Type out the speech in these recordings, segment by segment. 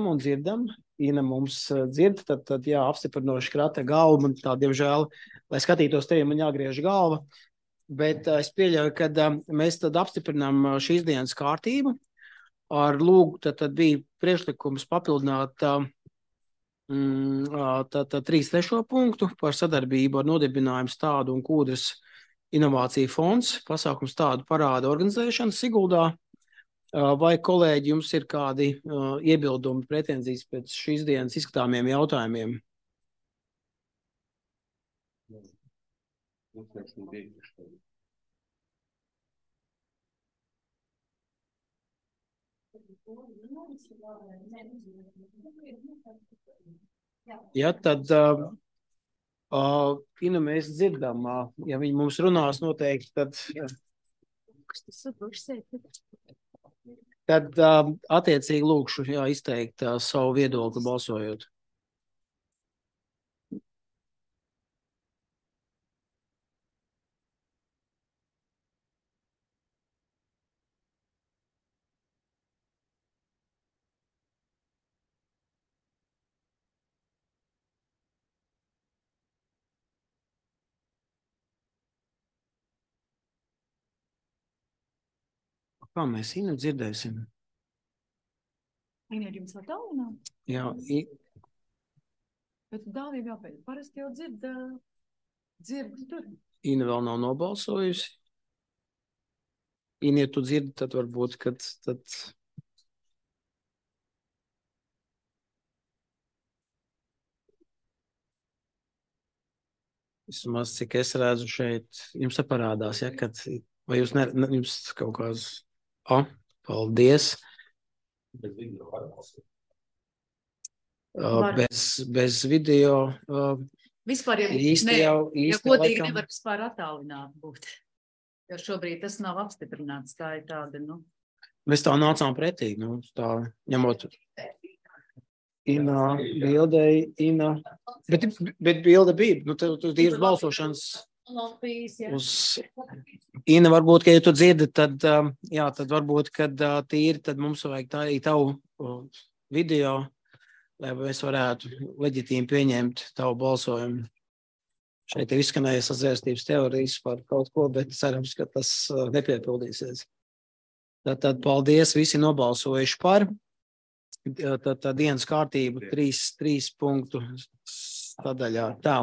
un dzirdam. Ina mums dzird, tad jā, apstiprinoši krata galvu. Man tā, diemžēl, lai skatītos tevi, man jāgriež galva. Bet es pieļauju, ka mēs tad apstiprinām šīs dienas kārtību. Ar lūgu tad bija priekšlikums papildināt 3.3. punktu par sadarbību ar nodibinājumu Stādu un Kūdras inovāciju fonds, pasākums Stādu parāda organizēšana Siguldā. Vai, kolēģi, jums ir kādi iebildumi, pretenzijas pēc šīs dienas izskatāmiem jautājumiem? Ja, tad Ina, mēs dzirdam, ja viņi mums runās noteikti, tad attiecīgi lūkšu izteikt savu viedokli balsojot. Kā mēs Inu dzirdēsim? Ina, jums vēl tālināt? Jā. Bet dāvība jāpēc. Parasti jau dzird tur. Ina vēl nav nobalsojusi. Ina, ja tu dzirdi, tad varbūt, kad tad... Vismaz, cik es redzu šeit, jums parādās, ja, kad... Vai jūs jums kaut kāds... Paldies. Bez video. Vispār īsti godīgi nevar vispār attālināt būt. Jo šobrīd tas nav apstiprināts. Tā ir tāda, Mēs tā nācām pretī, tā ņemot. Ina, bildei, Ina. Bet bilde bija, tu tīras balsošanas. Uz Ina, varbūt, ka ja tu dzirdi, tad varbūt, kad tīri, tad mums vajag tā arī tavu video, lai mēs varētu leģitīmi pieņemt tavu balsojumu. Šeit ir izskanējies sazvērstības teorijas par kaut ko, bet cerams, ka tas nepiepildīsies. Tad paldies, visi nobalsojuši par. Tad dienas kārtību 3 punktu sadaļā. Tā.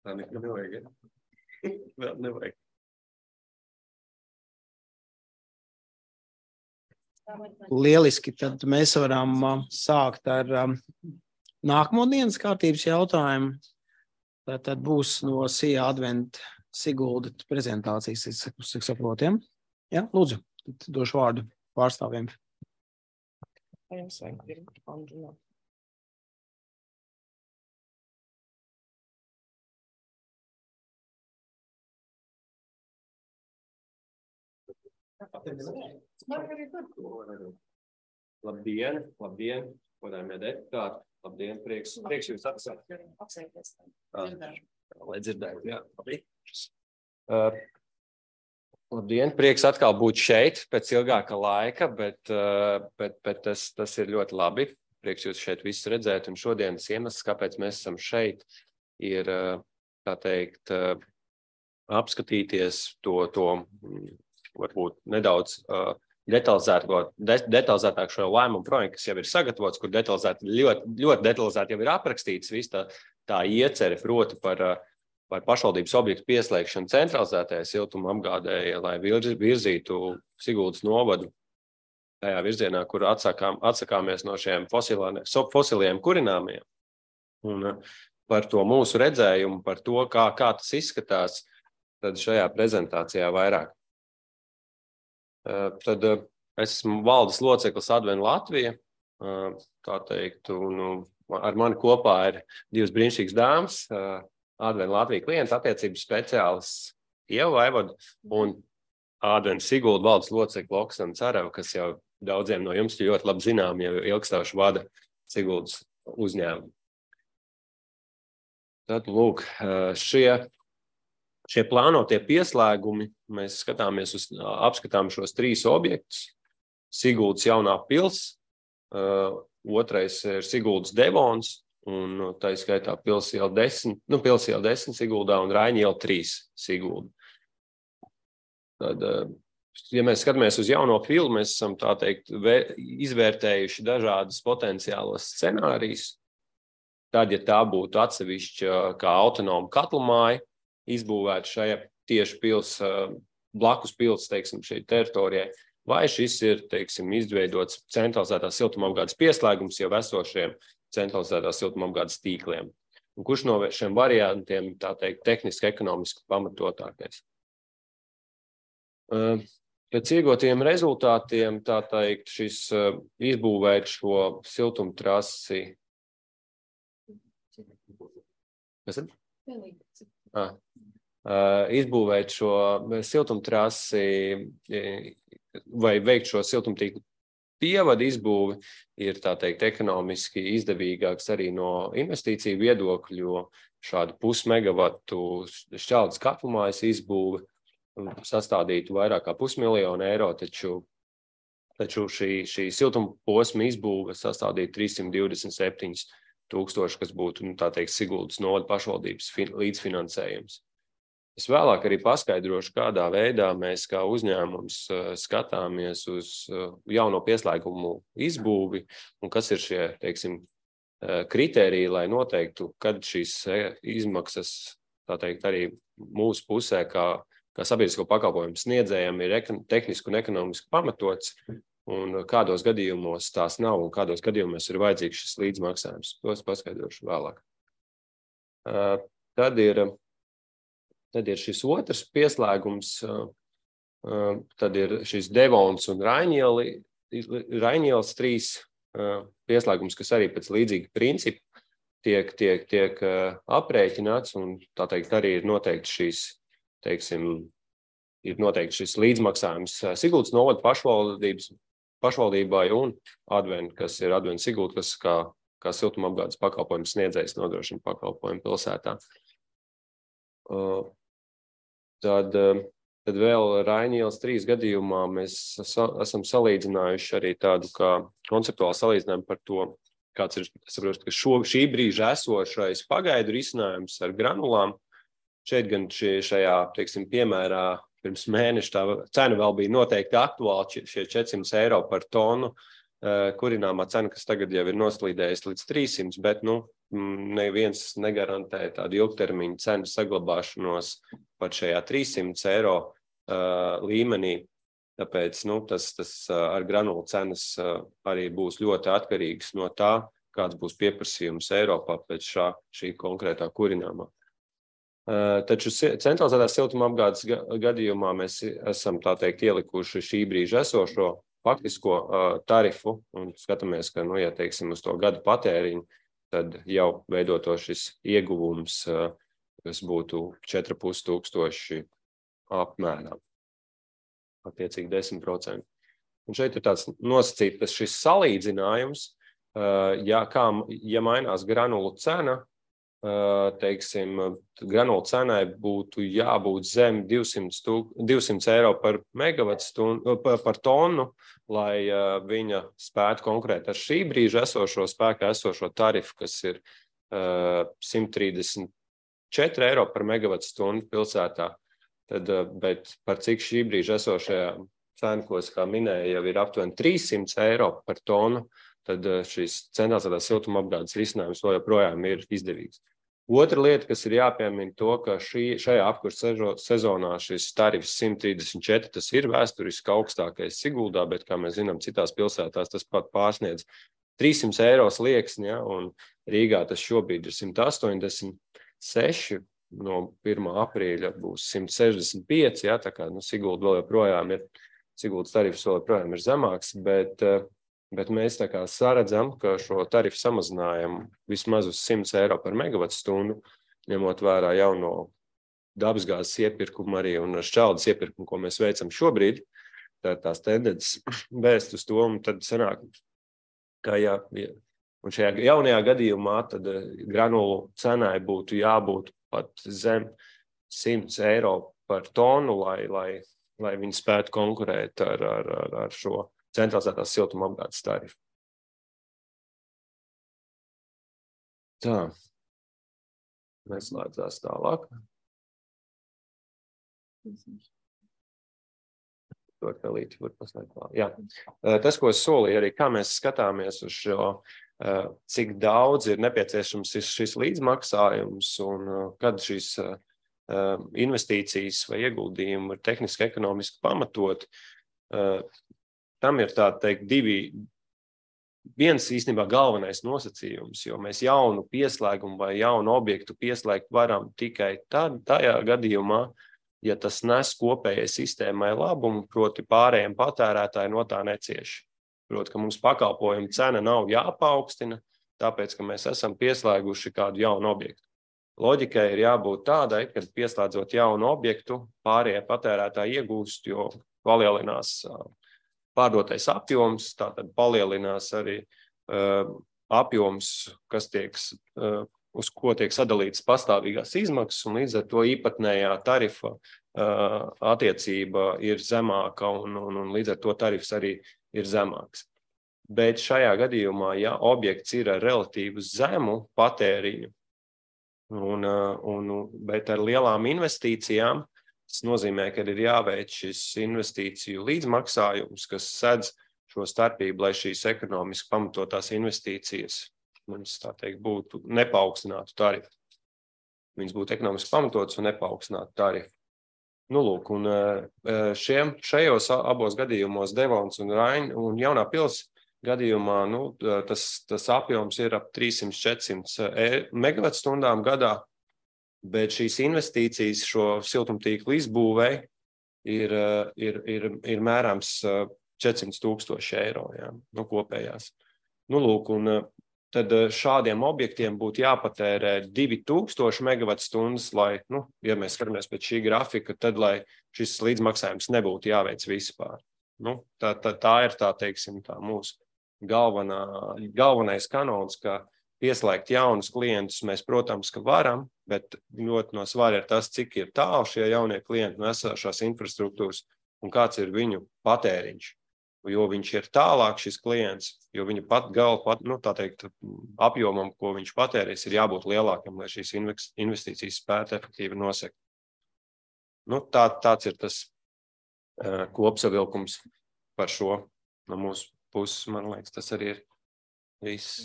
Tā nevajag. Vēl nevajag. Lieliski, tad mēs varam sākt ar nākamo dienas kārtības jautājumu. Tad būs no SIA Advent Sigulda prezentācijas, cik saprotiem. Ja, lūdzu, došu vārdu pārstāvjiem. Labdien, godājumie deputāti. Labdien, prieks jūs apsveikt. Lai dzirdētu, jā. Labdien, prieks atkal būt šeit pēc ilgāka laika, bet tas ir ļoti labi. Prieks jūs šeit visus redzēt, un šodienas iemesls, kāpēc mēs esam šeit, ir, tā teikt, apskatīties to varbūt nedaudz detalizētāk šo lēmumu projektu, kas jau ir sagatavots, kur ļoti detalizēti jau ir aprakstīts viss tā iecere, proti par pašvaldības objektu pieslēgšanu centralizētajai siltuma apgādēji, lai virzītu Siguldas novadu tajā virzienā, kur atsakāmies no šiem fosiliem kurināmiem. Un par to mūsu redzējumu, par to, kā tas izskatās, tad šajā prezentācijā vairāk. Tad es esmu valdes loceklis Advent Latvija, tā teikt, un ar mani kopā ir divas brīnišķīgas dāmas, Advent Latvija klienta attiecības speciālists Ieva Vaivoda un Advent Sigulda valdes locekli Oksana Carava, kas jau daudziem no jums ļoti labi zinām, jau ilgstāšu vada Siguldas uzņēmumu. Tad, lūk, šie plānotie pieslēgumi, mēs apskatām šos 3 objektus. Siguldas jaunā pils, otrais ir Siguldas Devons, un tā skaitā Pils iela 10, Pils iela 10 Siguldā un Raiņa iela 3 Sigulda. Tad, ja mēs skatāmies uz jauno pilu, mēs esam, tā teikt, izvērtējuši dažādas potenciālos scenārijus. Tad, ja tā būtu atsevišķa kā autonoma katlumāja, izbūvēta šajā tieši pils, blakus pils, teiksim, šeit teritorijai, vai šis ir, teiksim, izveidots centralizētās siltumapgādes pieslēgums jau esošiem centralizētās siltumapgādes tīkliem. Un kurš no šiem variantiem, tā teikt, tehniski ekonomiski pamatotākais? Pēc iegūtiem rezultātiem, tā teikt, šis izbūvēt šo siltumtrasi. Kas ir? Izbūvēt šo siltumtrasi vai veikt šo siltumtīklu pievadu izbūvi ir, tā teikt, ekonomiski izdevīgāks arī no investīciju viedokļu, jo šādu pusmegavatu šķeldes katlumājas izbūve sastādītu vairāk kā €500,000, taču šī siltumposma izbūve sastādītu 327,000, kas būtu, tā teikt, Siguldas novada pašvaldības līdzfinansējums. Es vēlāk arī paskaidrošu, kādā veidā mēs kā uzņēmums skatāmies uz jauno pieslēgumu izbūvi un kas ir šie, teiksim, kritēriji, lai noteiktu, kad šīs izmaksas, tā teikt, arī mūsu pusē, kā sabiedrisko pakalpojumu sniedzējiem, ir tehniski un ekonomiski pamatots, un kādos gadījumos tās nav, un kādos gadījumos ir vajadzīgs šis līdzmaksājums. Tos paskaidrošu vēlāk. Tad ir šis otrs pieslēgums, tad ir šis Devons un Raiņielas 3 pieslēgums, kas arī pēc līdzīga principa tiek aprēķināts, un tā teikt arī ir noteikti šīs, teiksim, ir noteikti šis līdzmaksājums Siguldas novada pašvaldībai un Advent, kas ir Advent Sigulda, kas kā siltumapgādes pakalpojumu sniedzējs nodrošina pakalpojumu pilsētā. Tad vēl Raiņielas 3 gadījumā mēs esam salīdzinājuši arī tādu kā konceptuālu salīdzinājumu par to, kāds ir, es saprotu, ka šī brīža esošais pagaidu risinājums ar granulām. Šeit gan šajā, teiksim, piemērā pirms mēneša tā cena vēl bija noteikti aktuāla, šie €400 par tonu, kurināmā cena, kas tagad jau ir noslīdējusi līdz 300, bet, neviens negarantē tādu ilgtermiņu cenu saglabāšanos pat šajā €300 līmenī. Tāpēc, tas ar granulu cenas arī būs ļoti atkarīgs no tā, kāds būs pieprasījums Eiropā pēc šī konkrētā kurināmā. Taču centralizētās siltumapgādes gadījumā mēs esam, tā teikt, ielikuši šī brīža esošo faktisko tarifu un skatāmies, ka, ja teiksim, uz to gadu patēriņu, tad jau veidoto šis ieguvums, kas būtu 4,5 apmērā, attiecīgi 10%. Un šeit ir tāds nosacīts, ka šis salīdzinājums, ja mainās granulu cena, teiksim, granulu cenai būtu jābūt zem €200 par megavatstundu, par tonu, lai viņa spētu konkurēt ar šī brīža spēkā esošo tarifu, kas ir €134 par megavatstundu pilsētā. Bet par cik šī brīža esošajā cenkos, kā minēja, jau ir aptuveni €300 par tonu, tad šīs centralizētās siltumapgādes risinājums joprojām ir izdevīgs. Otra lieta, kas ir jāpiemina to, ka šajā apkurses sezonā šis tarifs 134, tas ir vēsturiski augstākais Siguldā, bet, kā mēs zinām, citās pilsētās tas pat pārsniedz €300 slieksni, ja, un Rīgā tas šobrīd ir 186, no 1. aprīļa būs 165, ja, tā kā Sigulda vēl joprojām ir, Siguldas tarifs vēl joprojām ir zemāks, bet mēs tā kā saredzam, ka šo tarifu samazinājumu vismaz uz €100 par megavatstundu, ņemot vērā jauno dabasgāzes iepirkumu arī un šķeldes iepirkumu, ko mēs veicam šobrīd, tās tendences vēst uz to, un tad sanāk, ka un šajā jaunajā gadījumā tad granulu cenai būtu jābūt pat zem €100 par tonu, lai viņi spētu konkurēt ar šo centralizētās siltumapgādes tarifu. Tā. Neslēdzās tālāk. Jā. Tas, ko es solīju arī, kā mēs skatāmies uz šo, cik daudz ir nepieciešams šis līdzmaksājums un kad šīs investīcijas vai ieguldījumi ir tehniski ekonomiski pamatot. Tam ir tā teikt viens īstenībā galvenais nosacījums, jo mēs jaunu pieslēgumu vai jaunu objektu pieslēgt varam tikai tajā gadījumā, ja tas nes kopējai sistēmai labumu, proti pārējiem patērētāji no tā necieš. Proti, ka mums pakalpojuma cena nav jāpaukstina, tāpēc, ka mēs esam pieslēguši kādu jaunu objektu. Loģikai ir jābūt tādai, kad pieslēdzot jaunu objektu, pārējie patērētāji iegūst, jo palielinās pārdotais apjoms, tātad palielinās arī apjoms, kas uz ko tiek sadalītas pastāvīgās izmaksas, un līdz ar to īpatnējā tarifa attiecība ir zemāka, un līdz ar to tarifs arī ir zemāks. Bet šajā gadījumā, ja objekts ir ar relatīvu zemu patēriņu, bet ar lielām investīcijām, tas nozīmē, ka ir jāveic šis investīciju līdzmaksājums, kas sedz šo starpību, lai šīs ekonomiski pamatotās investīcijas mums, tā teikt, būtu nepaaugstināt tarifu. Viņas būtu ekonomiski pamatotas un nepaaugstināt tarifu. Nu, lūk, un šajos abos gadījumos, Devons un Raina un Jaunā pils gadījumā, tas apjoms ir ap 300-400 megavatstundām gadā, bet šīs investīcijas šo siltumtīklu izbūvei ir mērāms 400,000 eiro, jā, kopējās. Nu, lūk, un tad šādiem objektiem būtu jāpatērē 2000 megavatstundas, lai, ja mēs skatāmies pēc šī grafika, tad, lai šis līdzmaksājums nebūtu jāveic vispār. Tā ir tā, teiksim, tā mūsu galvenais kanons, ka pieslēgt jaunus klientus mēs, protams, ka varam, bet ļoti no svara ir tas, cik ir tālu šie jaunie klienti no esošās infrastruktūras un kāds ir viņu patēriņš. Jo viņš ir tālāk šis klients, jo viņa tā teikt, apjomam, ko viņš patērēs, ir jābūt lielākam, lai šīs investīcijas spētu efektīvi nosekt. Tāds ir tas kopsavilkums par šo no mūsu puses, man liekas, tas arī ir viss.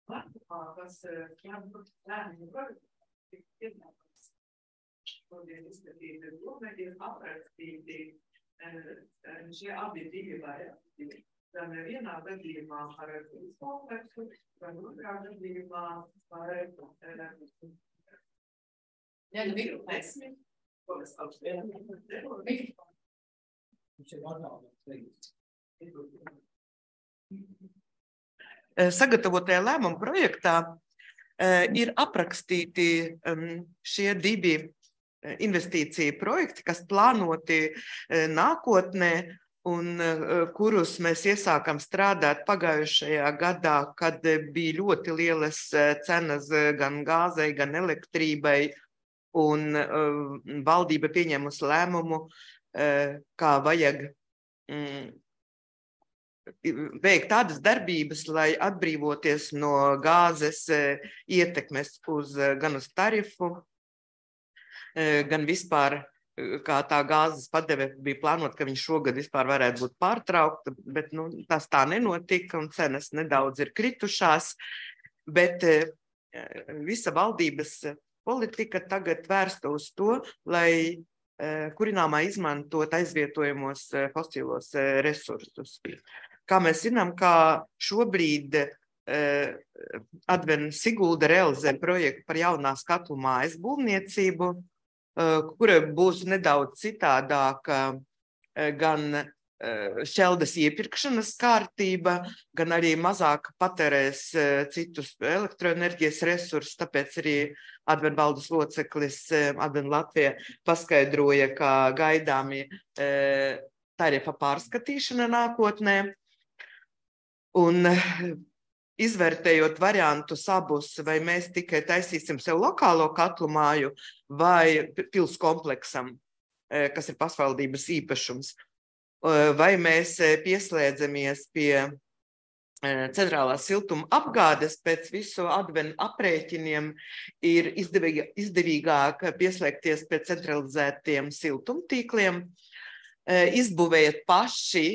Kas jābūt lēmumu projektu, šodien izskatīti ir aprakstīti šie abi divi varianti. Gan vienā gadījumā par kompleksu, gan otrā gadījumā par mikrofonu. Sagatavotajā lēmuma projektā ir aprakstīti šie divi investīciju projekti, kas plānoti nākotnē un kurus mēs iesākam strādāt pagājušajā gadā, kad bija ļoti lielas cenas gan gāzei, gan elektrībai, un valdība pieņēmusi lēmumu, kā vajag veikt tādas darbības, lai atbrīvoties no gāzes ietekmes gan uz tarifu, gan vispār, kā tā gāzes padeve bija plānot, ka viņš šogad vispār varētu būt pārtraukta, bet tas tā nenotika un cenas nedaudz ir kritušās, bet visa valdības politika tagad vērsta uz to, lai kurināmā izmantot aizvietojamos fosilos resursus. Kā mēs zinām, kā šobrīd Adven Sigulda realizē projektu par jaunās katlu mājas būvniecību, kura būs nedaudz citādāka gan šķeldes iepirkšanas kārtība, gan arī mazāk patērēs citus elektroenerģijas resursus, tāpēc arī Adven valdes loceklis Adven Latvija paskaidroja, ka gaidāmi tarifa pārskatīšana nākotnē. Un izvērtējot variantus abus, vai mēs tikai taisīsim sev lokālo katlu māju vai pils kompleksam, kas ir pašvaldības īpašums, vai mēs pieslēdzamies pie centrālās siltuma apgādes pēc visu advenu aprēķiniem ir izdevīgāk pieslēgties pie centralizētiem siltumtīkliem, izbūvējat paši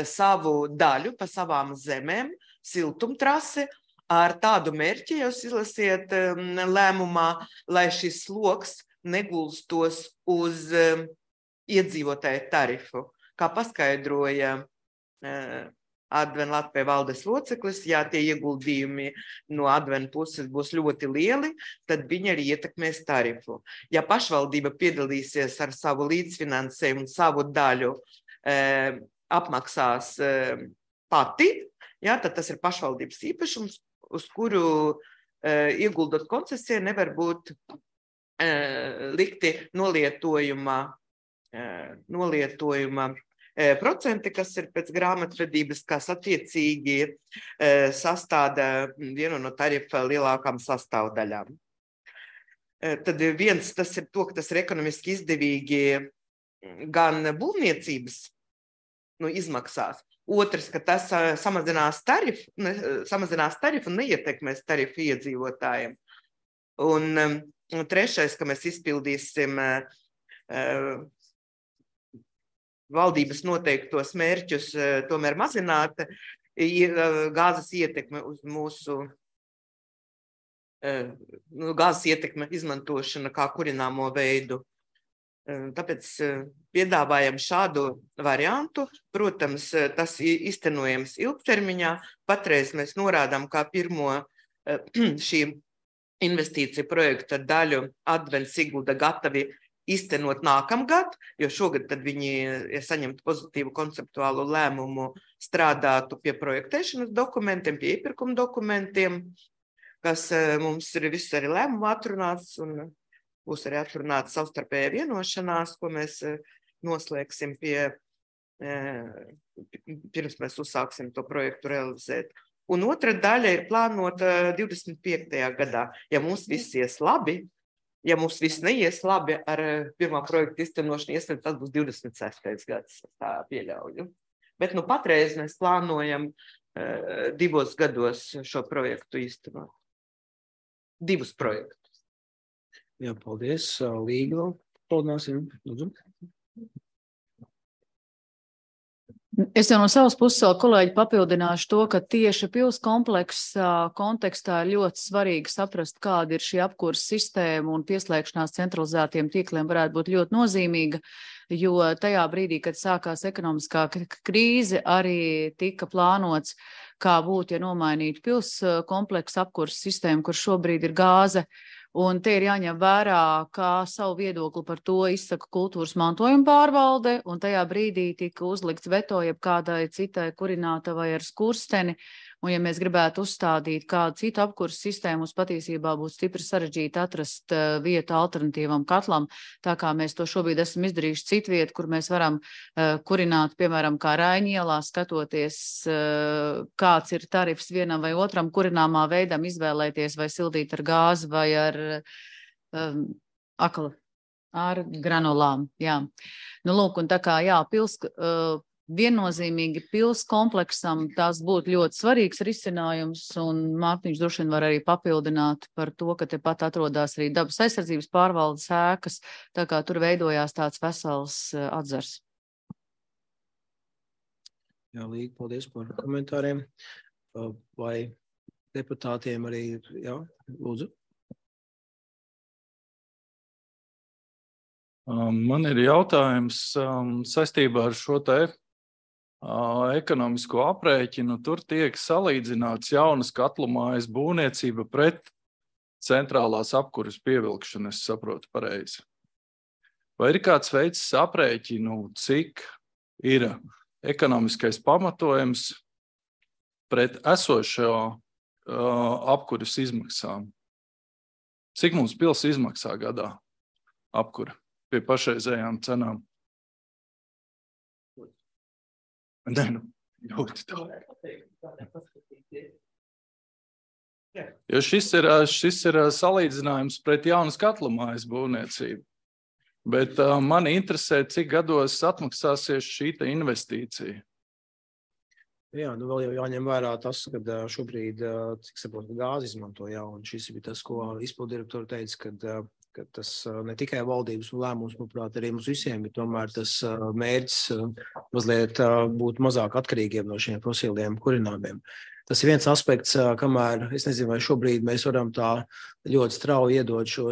savu daļu pa savām zemēm, siltumtrasi, ar tādu mērķi jūs izlasiet lēmumā, lai šis sloks negulstos uz iedzīvotāju tarifu. Kā paskaidroja Adven Latvijas valdes loceklis, ja tie ieguldījumi no Adven puses būs ļoti lieli, tad viņi arī ietekmēs tarifu. Ja pašvaldība piedalīsies ar savu līdzfinansējumu un savu daļu apmaksās pati, ja, tad tas ir pašvaldības īpašums, uz kuru ieguldot koncesiju nevar būt likti nolietojuma procenti, kas ir pēc grāmatvedības, kas attiecīgi sastāda vienu no tarifa lielākām sastāvdaļām. Tad viens, tas ir to, ka tas ir ekonomiski izdevīgi gan būvniecības izmaksās. Otrs, ka tas samazinās tarifu un neietekmēs tarifu iedzīvotājiem. Un trešais, ka mēs izpildīsim valdības noteiktos mērķus tomēr mazināt gāzes ietekme uz mūsu gāzes ietekme izmantošana kā kurināmo veidu. Tāpēc piedāvājam šādu variantu. Protams, tas iztenojams ilgtermiņā. Patreiz mēs norādām, kā pirmo šī investīcija projekta daļu Adven Sigulda gatavi iztenot nākamgad, jo šogad tad viņi, ja saņemtu pozitīvu konceptuālu lēmumu, strādātu pie projektēšanas dokumentiem, pie iepirkuma dokumentiem, kas mums ir viss arī lēmumu atrunāts un būs arī atrunāts savstarpējā vienošanās, ko mēs noslēgsim pirms mēs uzsāksim to projektu realizēt. Un otra daļa ir plānota 25. gadā. Ja mums viss ies labi, ja mums viss neies labi ar pirmā projekta iztenošanu, iespējams, tas būs 26. gads, tā pieļauju. Bet patreiz mēs plānojam 2 gados šo projektu īstenot. 2 projektus. Jā, paldies. Līga vēl paldies. Lūdzu. Es jau no savas puses vēl kolēģi papildināšu to, ka tieši pilskompleksa kontekstā ir ļoti svarīgi saprast, kāda ir šī apkures sistēma un pieslēgšanās centralizētiem tīkliem varētu būt ļoti nozīmīga, jo tajā brīdī, kad sākās ekonomiskā krīze, arī tika plānots, kā būtu, ja nomainītu pilskompleksa apkures sistēmu, kur šobrīd ir gāze. Un te ir jāņem vērā, kā savu viedokli par to izsaka kultūras mantojuma pārvalde, un tajā brīdī tika uzlikts veto jeb kādai citai kurinātavai ar skursteni, un ja mēs gribētu uzstādīt kādu citu apkuras sistēmu, mums patiesībā būtu stipri sarežģīti atrast vietu alternatīvam katlam, tā kā mēs to šobrīd esam izdarījuši citu vietu, kur mēs varam kurināt, piemēram, kā Raiņielā, skatoties, kāds ir tarifs vienam vai otram kurināmā veidam, izvēlēties vai sildīt ar gāzi vai ar ar granulām. Jā. Nu, lūk, un tā kā, jā, viennozīmīgi pilskompleksam tās būtu ļoti svarīgs risinājums, un Mārtiņš droši vien var arī papildināt par to, ka tepat atrodas arī dabas aizsardzības pārvaldes ēkas, tā kā tur veidojās tāds vesels atzars. Jā, Līga, paldies par komentāriem. Vai deputātiem arī, jā, lūdzu? Man ir jautājums saistībā ar šo te ekonomisko aprēķinu. Tur tiek salīdzināts jaunas katlumājas būvniecība pret centrālās apkuras pievilkšanu, es saprotu pareizi. Vai ir kāds veids aprēķinu, cik ir ekonomiskais pamatojums pret esošo apkuras izmaksām? Cik mums pils izmaksā gadā apkura pie pašreizējām cenām? Nē, ļoti tā. Jo šis ir salīdzinājums pret jaunas katlumājas būvniecību. Bet mani interesē, cik gados atmaksāsies šī investīcija. Jā, nu vēl jau jāņem vērā tas, ka šobrīd, cik saprotu, gāzi izmanto, jā, un šis bija tas, ko izpildirektori teica, ka tas ne tikai valdības lēmums, manuprāt, arī mums visiem, bet tomēr tas mērķis mazliet būt mazāk atkarīgiem no šiem fosiliem kurināmiem. Tas ir viens aspekts, kamēr, es nezinu, vai šobrīd mēs varam tā ļoti strauji iedot šo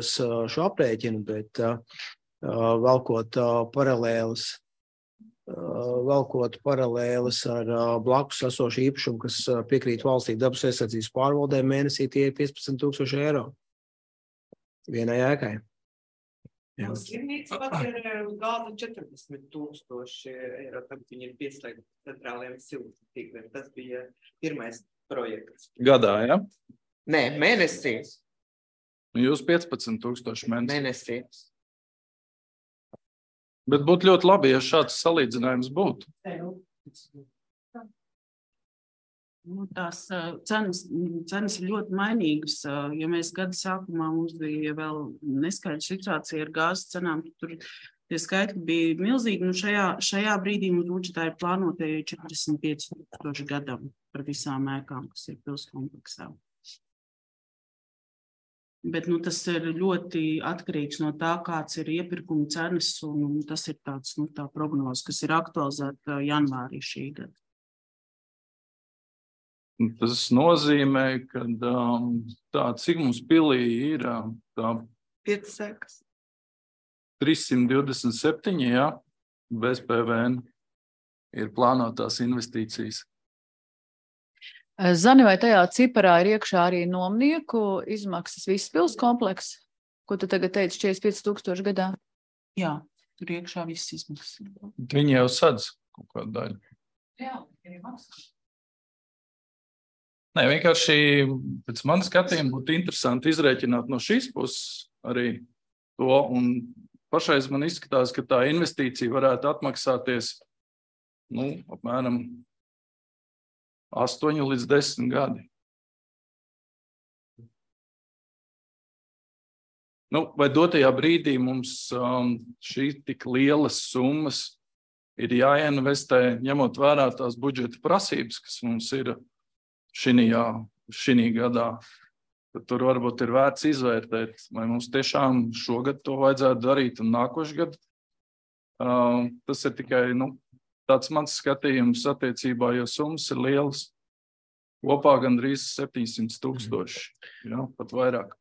aprēķinu, bet valkot paralēlis ar blakus esošu īpašumu, kas piekrīt valstī dabas aizsardzības pārvaldē, mēnesī tie ir 15,000 eiro vienai ēkai. Jā. Slimnīca pat ir gāza 40,000 eiro, tad viņi ir pieslēgti centrālajiem siltumtīkliem. Tas bija pirmais projekts. Gadā, ja? Nē, mēnesī. Jūs 15,000 Mēnesī. Bet būtu ļoti labi, ja šāds salīdzinājums būtu. Nu, tās cenas ir ļoti mainīgas. Ja mēs gada sākumā mums bija vēl neskaidra situācija ar gāzes cenām, tur tie skaitļi bija milzīgi. Nu, šajā brīdī mums budžetā ir plānotie 45,000 gadam par visām ēkām, kas ir pilskompleksā. Bet tas ir ļoti atkarīgs no tā, kāds ir iepirkuma cenas, un tas ir tāds, tā prognoze, kas ir aktualizēta janvārī šī gada. Tas nozīmē, ka cik mums pilī ir 5 sekas. 327, jā, bez PVN ir plānotās investīcijas. Zani, vai tajā ciparā ir iekšā arī nomnieku izmaksas viss pilskompleks? Ko tu tagad teici, 45,000 gadā? Jā, tur iekšā viss izmaksas. Viņi jau sadz kaut kādu daļu. Jā, ir maksā. Nē, vienkārši pēc manas skatījuma būtu interesanti izrēķināt no šīs puses arī to, un pašreiz man izskatās, ka tā investīcija varētu atmaksāties, apmēram 8 līdz 10 gadi. Vai dotajā brīdī mums šī tik lielas summas ir jāinvestē, ņemot vērā tās budžeta prasības, kas mums ir šī gadā. Tur varbūt ir vērts izvērtēt, vai mums tiešām šogad to vajadzētu darīt un nākošu gadu. Tas ir tikai tāds mans skatījums attiecībā, jo summas ir lielas. Kopā gandrīz 700,000, pat vairāk.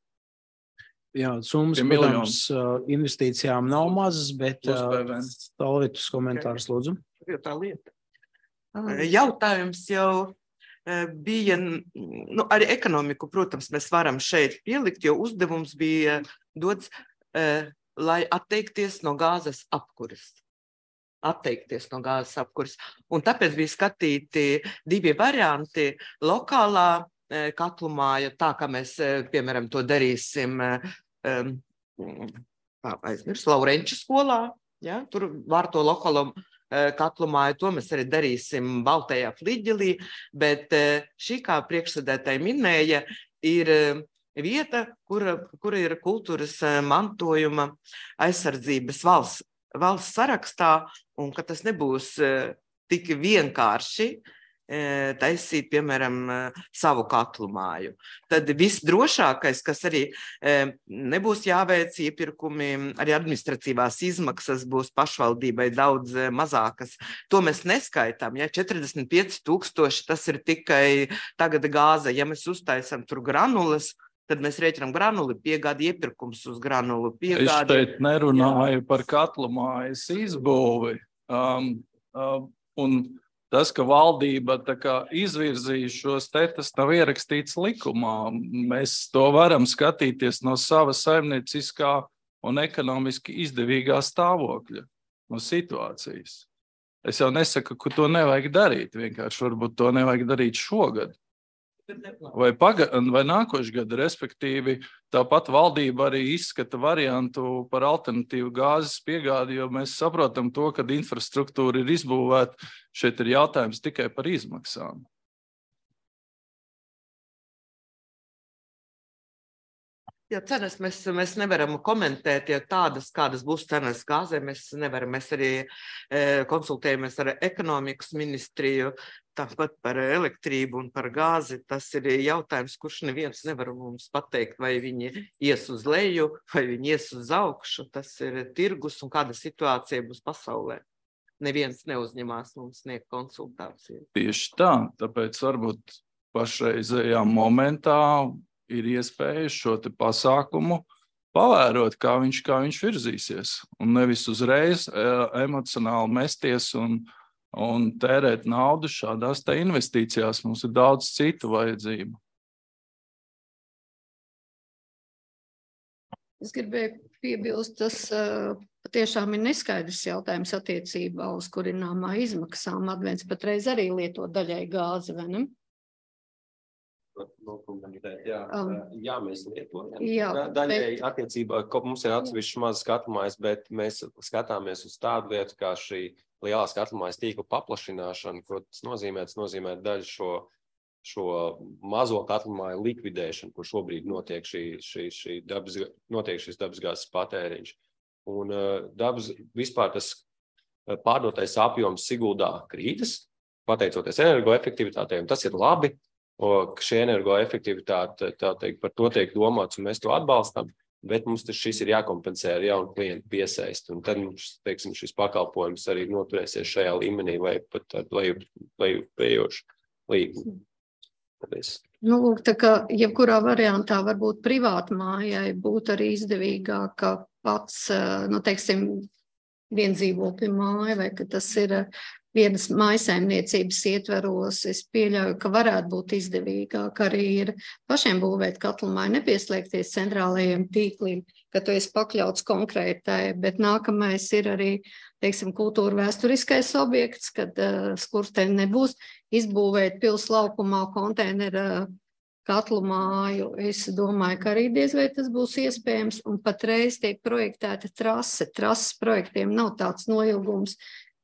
Jā, summas, protams, investīcijām nav mazas, bet Talvitus komentārs, lūdzu. Tā lieta. Jautājums jau bija, arī ekonomiku, protams, mēs varam šeit pielikt, jo uzdevums bija dots, lai atteikties no gāzes apkuras. Un tāpēc bija skatīti 2 varianti - lokālā katlumaja, tā kā mēs, piemēram, to darīsim Laurenča skolā, ja, tur var to lokālo katlumaja, to mēs arī darīsim Baltajā Fliģelī, bet šī, kā priekšsēdētāji minēja, ir vieta, kura ir kultūras mantojuma aizsardzības valsts sarakstā, un ka tas nebūs tik vienkārši taisīt, piemēram, savu katlu māju. Tad visdrošākais, kas arī nebūs jāveic iepirkumi, arī administratīvās izmaksas būs pašvaldībai daudz mazākas. To mēs neskaitām, ja 45,000, tas ir tikai tagad gāze. Ja mēs uztaisam tur granulas, tad mēs rēķinām granuli, piegādi iepirkums uz granulu. Es šeit nerunāju par katlu mājas izbūvi. Un tas, ka valdība izvirzīja šos tas nav ierakstīts likumā. Mēs to varam skatīties no sava saimnieciskā un ekonomiski izdevīgā stāvokļa, no situācijas. Es jau nesaku, ka to nevajag darīt, vienkārši varbūt to nevajag darīt šogad. Vai nākošu gadu, respektīvi, tāpat valdība arī izskata variantu par alternatīvu gāzes piegādi, jo mēs saprotam to, ka infrastruktūra ir izbūvēta, šeit ir jautājums tikai par izmaksām. Jā, cenas mēs nevaram komentēt, jo tādas, kādas būs cenas gāzē, mēs nevaram. Mēs arī konsultējamies ar ekonomikas ministriju. tāpat par elektrību un par gāzi, tas ir jautājums, kurš neviens nevar mums pateikt, vai viņi ies uz leju, vai viņi ies uz augšu. Tas ir tirgus un kāda situācija būs pasaulē. Neviens neuzņemās mums sniegt konsultāciju. Tieši tā, tāpēc varbūt pašreizējā momentā ir iespēja šo te pasākumu pavērot, kā viņš virzīsies, un nevis uzreiz emocionāli mesties un tērēt naudu šādās te investīcijās. Mums ir daudz citu vajadzību. Es gribēju piebilst, tas patiešām ir neskaidrs jautājums attiecībā uz kurināmā izmaksām. Advents patreiz arī lieto daļai gāzi, vai ne? Jā, mēs lietojam. Jā, Daļai attiecībā, mums ir atsevišķi mazas katlamājas, bet mēs skatāmies uz tādu lietu, kā šī lielās katlamājas tīkla paplašināšana, ko tas nozīmē. Tas nozīmē daļu šo mazo katlamāju likvidēšanu, kur šobrīd notiek šīs dabasgāzes patēriņš. Un vispār tas pārdotais apjoms Siguldā krītas, pateicoties energoefektivitātei, un tas ir labi, ka šī energoefektivitāte, tā teikt, par to tiek domāts, un mēs to atbalstam, bet mums šis ir jākompensē ar jaunu klientu piesaist, un tad mums, teiksim, šis pakalpojums arī noturēsies šajā līmenī vai pat ar lejupējošu līgumu. Nu, lūk, tā kā jebkurā variantā varbūt privāta mājai būtu arī izdevīgāk pats, nu, teiksim, viendzīvokļu māja, vai ka tas ir vienas mājsaimniecības ietveros. Es pieļauju, ka varētu būt izdevīgāk arī ir pašiem būvēt katlamāju, nepieslēgties centrālajiem tīkliem, ka tu esi pakļauts konkrētai, bet nākamais ir arī, teiksim, kultūra vēsturiskais objekts, kad skursteņi nebūs, izbūvēt pils laukumā konteinera katlu māju. Es domāju, ka arī diez vai tas būs iespējams, un patreiz tiek projektēta trase. Trases projektiem nav tāds noilgums,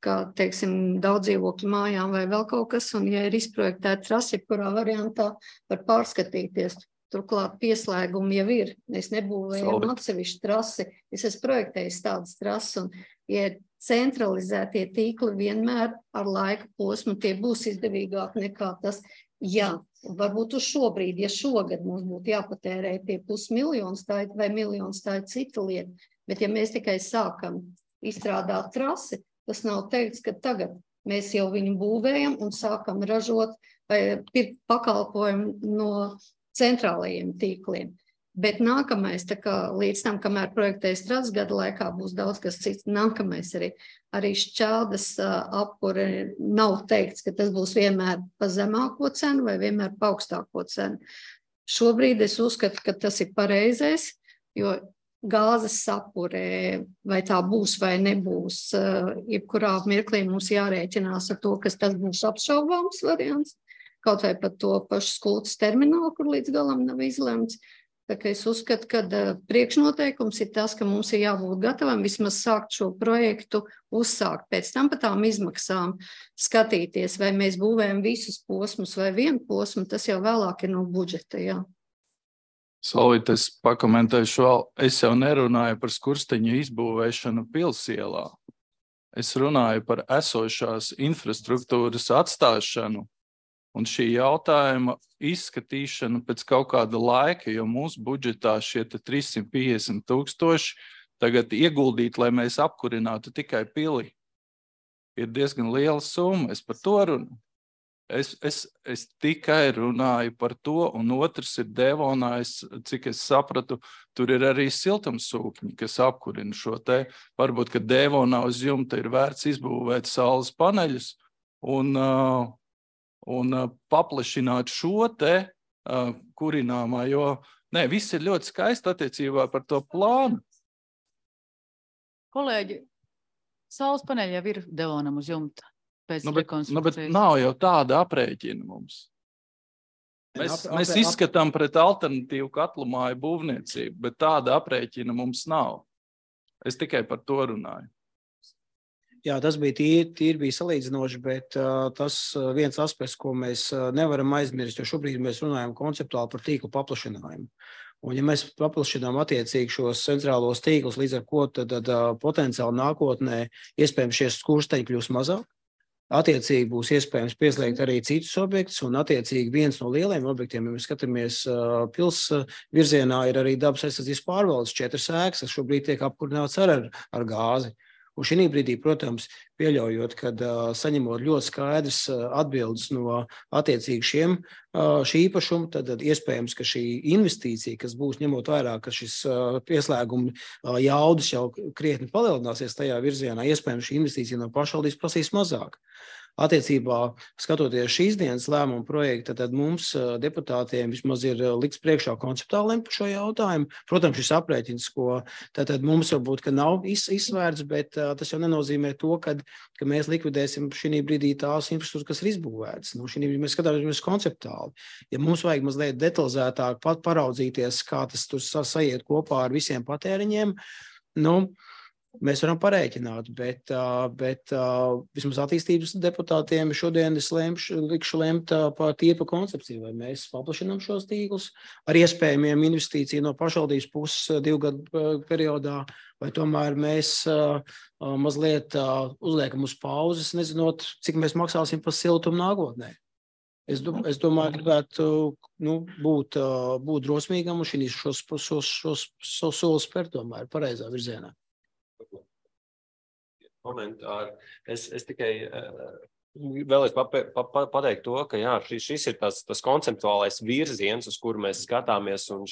kā, teiksim, daudz dzīvokļu mājām vai vēl kaut kas, un ja ir izprojektēta trase, kurā variantā var pārskatīties. Turklāt pieslēgumi jau ir. Es nebūvēju atsevišķu trasi, es esmu projektējis tādas trases, un ja centralizētie tīkli vienmēr ar laika posmu tie būs izdevīgāk nekā tas. Jā, varbūt uz šobrīd, ja šogad mums būtu jāpatērē tie 500 000, tā vai 1 000 000, tā ir cita lieta. Bet ja mēs tikai sākam izstrādāt trasi, tas nav teikts, ka tagad mēs jau viņu būvējam un sākam ražot vai pirkt pakalpojumu no centrālajiem tīkliem. Bet nākamais, tā kā līdz tam, kamēr projektējas trases gada laikā, būs daudz kas cits. Nākamais arī šķeldas apkure nav teikts, ka tas būs vienmēr pa zemāko cenu vai vienmēr pa augstāko cenu. Šobrīd es uzskatu, ka tas ir pareizais, jo gāzes apkure, vai tā būs vai nebūs, jebkurā mirklī mums jārēķinās ar to, kas tas būs apšaubāms variants, kaut vai pat to pašu Skultas terminālu, kur līdz galam nav izlemts. Tā kā es uzskatu, ka priekšnoteikums ir tas, ka mums ir jābūt gatavam vismaz sākt šo projektu uzsākt. Pēc tam par tām izmaksām skatīties, vai mēs būvējam visus posmus vai vienu posmu, tas jau vēlāk ir no budžeta, jā. Solvīt, es pakomentēšu vēl. Es jau nerunāju par skursteņu izbūvēšanu pilsielā. Es runāju par esošās infrastruktūras atstāšanu un šī jautājuma izskatīšanu pēc kaut kāda laika, jo mūsu budžetā šie 350 000 tagad ieguldīt, lai mēs apkurinātu tikai pili, ir diezgan liela summa. Es par to runāju. Es tikai runāju par to, un otrs ir Devonā, cik es sapratu, tur ir arī siltumsūkņi, kas apkurina šo te. Varbūt, ka Devonā uz jumta ir vērts izbūvēt saules paneļus un paplašināt šo te kurināmā, jo viss ir ļoti skaisti attiecībā par to plānu. Kolēģi, saules paneļi jau ir Devonam uz jumta pēc rekonstrukcijas. Bet nav jau tāda aprēķina mums. Mēs izskatām pret alternatīvu katlamāju būvniecību, bet tāda aprēķina mums nav. Es tikai par to runāju. Jā, tas bija tīri bija salīdzinoši, bet tas viens aspekts, ko mēs nevaram aizmirst, jo šobrīd mēs runājam konceptuāli par tīklu paplašinājumu. Un ja mēs paplašinām attiecīgi šos centrālos tīklus, līdz ar ko tad potenciāli nākotnē iespējams šie skursteņi kļūs mazāk, Attiecīgi būs iespējams pieslēgt arī citus objektus, un attiecīgi viens no lielajiem objektiem, ja mēs skatāmies pils virzienā, ir arī dabas aizsardzības pārvaldes 4 ēkas, kas šobrīd tiek apkurināts ar gāzi. Un šī brīdī, protams, pieļaujot, kad saņemot ļoti skaidrs atbildes no attiecīgi šī īpašuma, tad iespējams, ka šī investīcija, kas būs ņemot vairāk, ka šis pieslēguma jaudas jau krietni palielināsies tajā virzienā, iespējams, šī investīcija no pašvaldības prasīs mazāk. Attiecībā, skatoties šīs dienas lēmumu projektu, tad mums deputātiem vismaz ir likts priekšā konceptuāli par šo jautājumu. Protams, šis aprēķins, ko tad mums varbūt, ka nav izsvērts, bet tas jau nenozīmē to, ka mēs likvidēsim šī brīdī tās infrastruktūras, kas ir izbūvētas. Nu, šī brīdī mēs skatāmies konceptuāli. Ja mums vajag mazliet detalizētāk paraudzīties, kā tas tur sajiet kopā ar visiem patēriņiem, nu, mēs varam parēķināt, bet vismaz attīstības deputātiem šodien es likšu lemt par koncepciju, vai mēs paplašinām šos tīklus ar iespējamiem investīciju no pašvaldības puses 2 gadu periodā, vai tomēr mēs mazliet uzliekam uz pauzes, nezinot, cik mēs maksāsim par siltumu nākotnē. Es domāju, gribētu būt drosmīgam un šos solis spērt tomēr pareizā virzienā. Komentāri. Es tikai vēlēs pateikt to, ka jā, šis ir tas konceptuālais virziens, uz kuru mēs skatāmies, un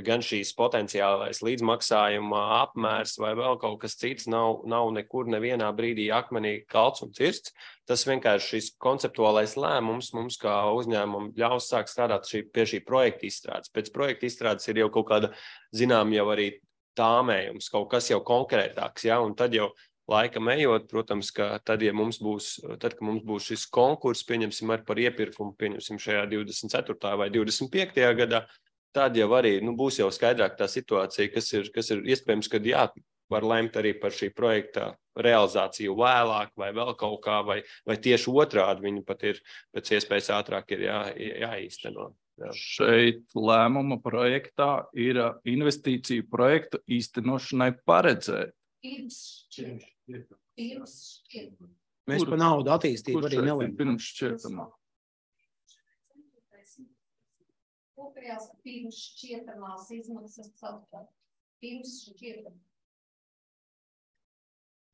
gan šīs potenciālais līdzmaksājuma apmērs vai vēl kaut kas cits nav nekur nevienā brīdī akmenī kalts un cirsts. Tas vienkārši šis konceptuālais lēmums mums kā uzņēmumam ļaus sākt strādāt pie šī projekta izstrādes. Pēc projekta izstrādes ir jau kaut kāda, zinām, jau arī tāmējums, kaut kas jau konkrētāks, ja, un tad jau laikam ejot, protams, ka tad, kad mums būs šis konkurss, pieņemsim ar par iepirkumu, pieņemsim šajā 24. vai 25. gadā, tad jau arī būs jau skaidrāk tā situācija, kas ir iespējams, kad var lemt arī par šī projekta realizāciju vēlāk vai vēl kaut kā, vai tieši otrādi viņi pat ir pēc iespējas ātrāk ir jāīsteno. Jā. Šeit lēmuma projektā ir investīciju projektu īstenošanai paredzēt. Mēs par naudu attīstību arī nelēmām. Pirms šķietamā. Kopējās pirms šķietamās izmaksas pirms šķietamā.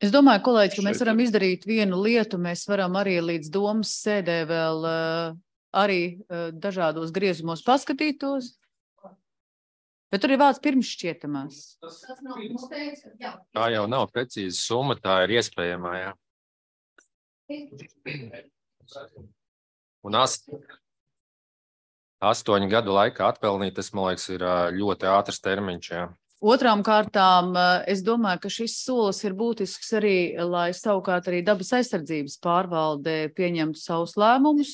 Es domāju, kolēģi, ka mēs varam izdarīt vienu lietu. Mēs varam arī līdz domas sēdē vēl arī dažādos griezumos paskatītos. Bet tur ir vārds pirms šķietamās. Tā jau nav precīza summa, tā ir iespējamā, jā. Un 8 gadu laikā atpelnīt, tas, man liekas, ir ļoti ātrs termiņš, jā. Otrām kārtām, es domāju, ka šis solis ir būtisks arī, lai savukārt arī dabas aizsardzības pārvalde pieņemtu savus lēmumus.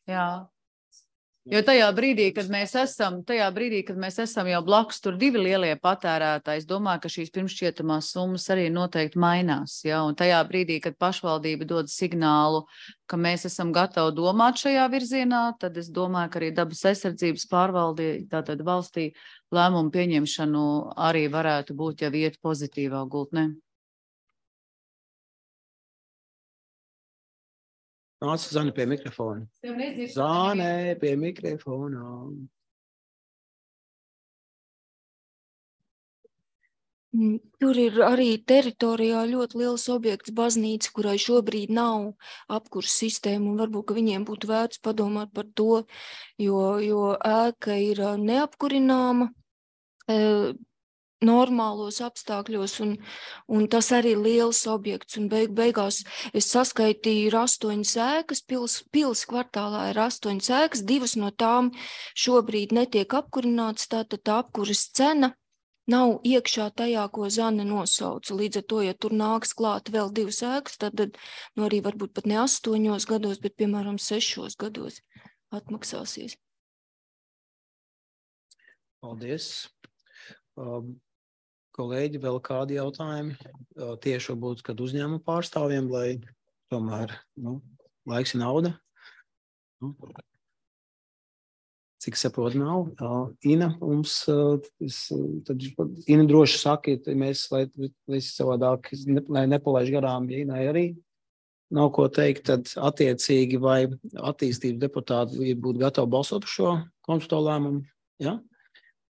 Jā. Jo tajā brīdī, kad mēs esam jau blakus tur 2 lielie patērētāji, es domāju, ka šīs pirmšķietamās summas arī noteikti mainās. Ja? Un tajā brīdī, kad pašvaldība dod signālu, ka mēs esam gatavi domāt šajā virzienā, tad es domāju, ka arī dabas aizsardzības pārvalde, tātad valstī lēmumu pieņemšanu arī varētu būt jau iet pozitīvā gultnē. Nāc, Zane pie mikrofona. Zane pie mikrofona. Tur ir arī teritorijā ļoti liels objekts baznīca, kurai šobrīd nav apkurs sistēma, un varbūt, ka viņiem būtu vērts padomāt par to, jo ēka ir neapkurināma normālos apstākļos, un tas arī ir liels objekts, un beigās es saskaitīju 8 ēkas, pils kvartālā ir 8 ēkas, 2 no tām šobrīd netiek apkurinātas, tātad tā apkuras cena nav iekšā tajā, ko Zane nosauca. Līdz ar to, ja tur nāks klāt vēl 2 ēkas, tad arī varbūt pat ne 8 gados, bet piemēram 6 gados atmaksāsies. Paldies. Kolēģi, vēl kādi jautājumi? Tieši varbūt, kad uzņēmuma pārstāvjiem, lai tomēr laiks ir nauda. Cik saprot nav? Ina, tad Ina droši saka, mēs, lai savādāk nepalaiž garām, ja Inai arī nav ko teikt, tad attiecīgi vai attīstības deputāti būtu gatavi balsot par šo konsultālo lēmumu, ja?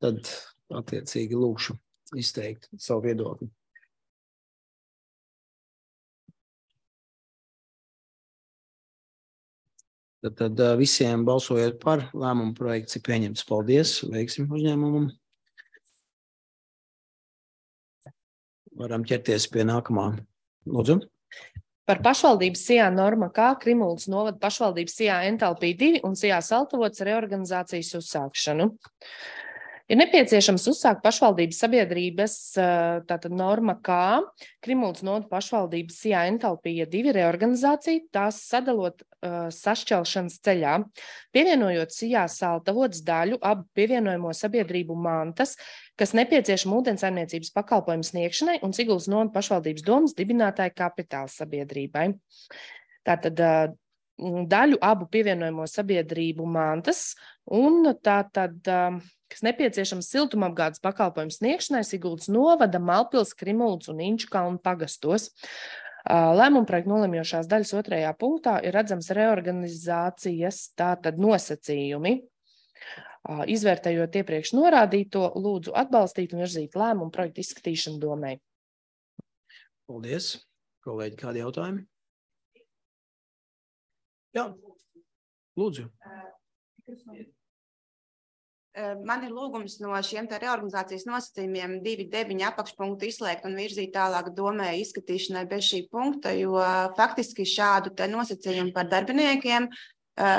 Tad attiecīgi lūkšu izteikt savu viedokli. Tad visiem balsojot par lēmumu projekts ir pieņemts. Paldies, veiksim uzņēmumam. Varam ķerties pie nākamā. Lūdzu. Par pašvaldības SIA norma K Krimulas novada pašvaldības SIA Entalpī 2 un SIA Saltavots reorganizācijas uzsākšanu. Ir nepieciešams uzsākt pašvaldības sabiedrības tātad norma K Krimulas novada pašvaldības SIA Entalpija 2 reorganizāciju, tās sadalot sašķelšanas ceļā, pievienojot SIA Saltavots daļu abu pievienojamo sabiedrību mantas, kas nepieciešama ūdensaimniecības pakalpojumu sniegšanai un Siguldas novada pašvaldības domas dibinātāja kapitāla sabiedrībai. Tātad daļu abu pievienojamo sabiedrību mantas un tātad, kas nepieciešams siltumapgādes pakalpojumu sniegšanai Siguldas novada, Malpils, Krimulas un Inčukalnu pagastos. Lēmuma projekta nolemjošās daļas 2. punktā ir redzams reorganizācijas tātad nosacījumi. Izvērtējot iepriekš norādīto, lūdzu atbalstīt un virzīt lēmumu projektu izskatīšanu domai. Paldies. Kolēģi, kādi jautājumi? Jā, lūdzu. Man ir lūgums no šiem te reorganizācijas nosacījumiem 2.9 apakšpunktu izslēgt un virzīt tālāk domē izskatīšanai bez šī punkta, jo faktiski šādu te nosacījumu par darbiniekiem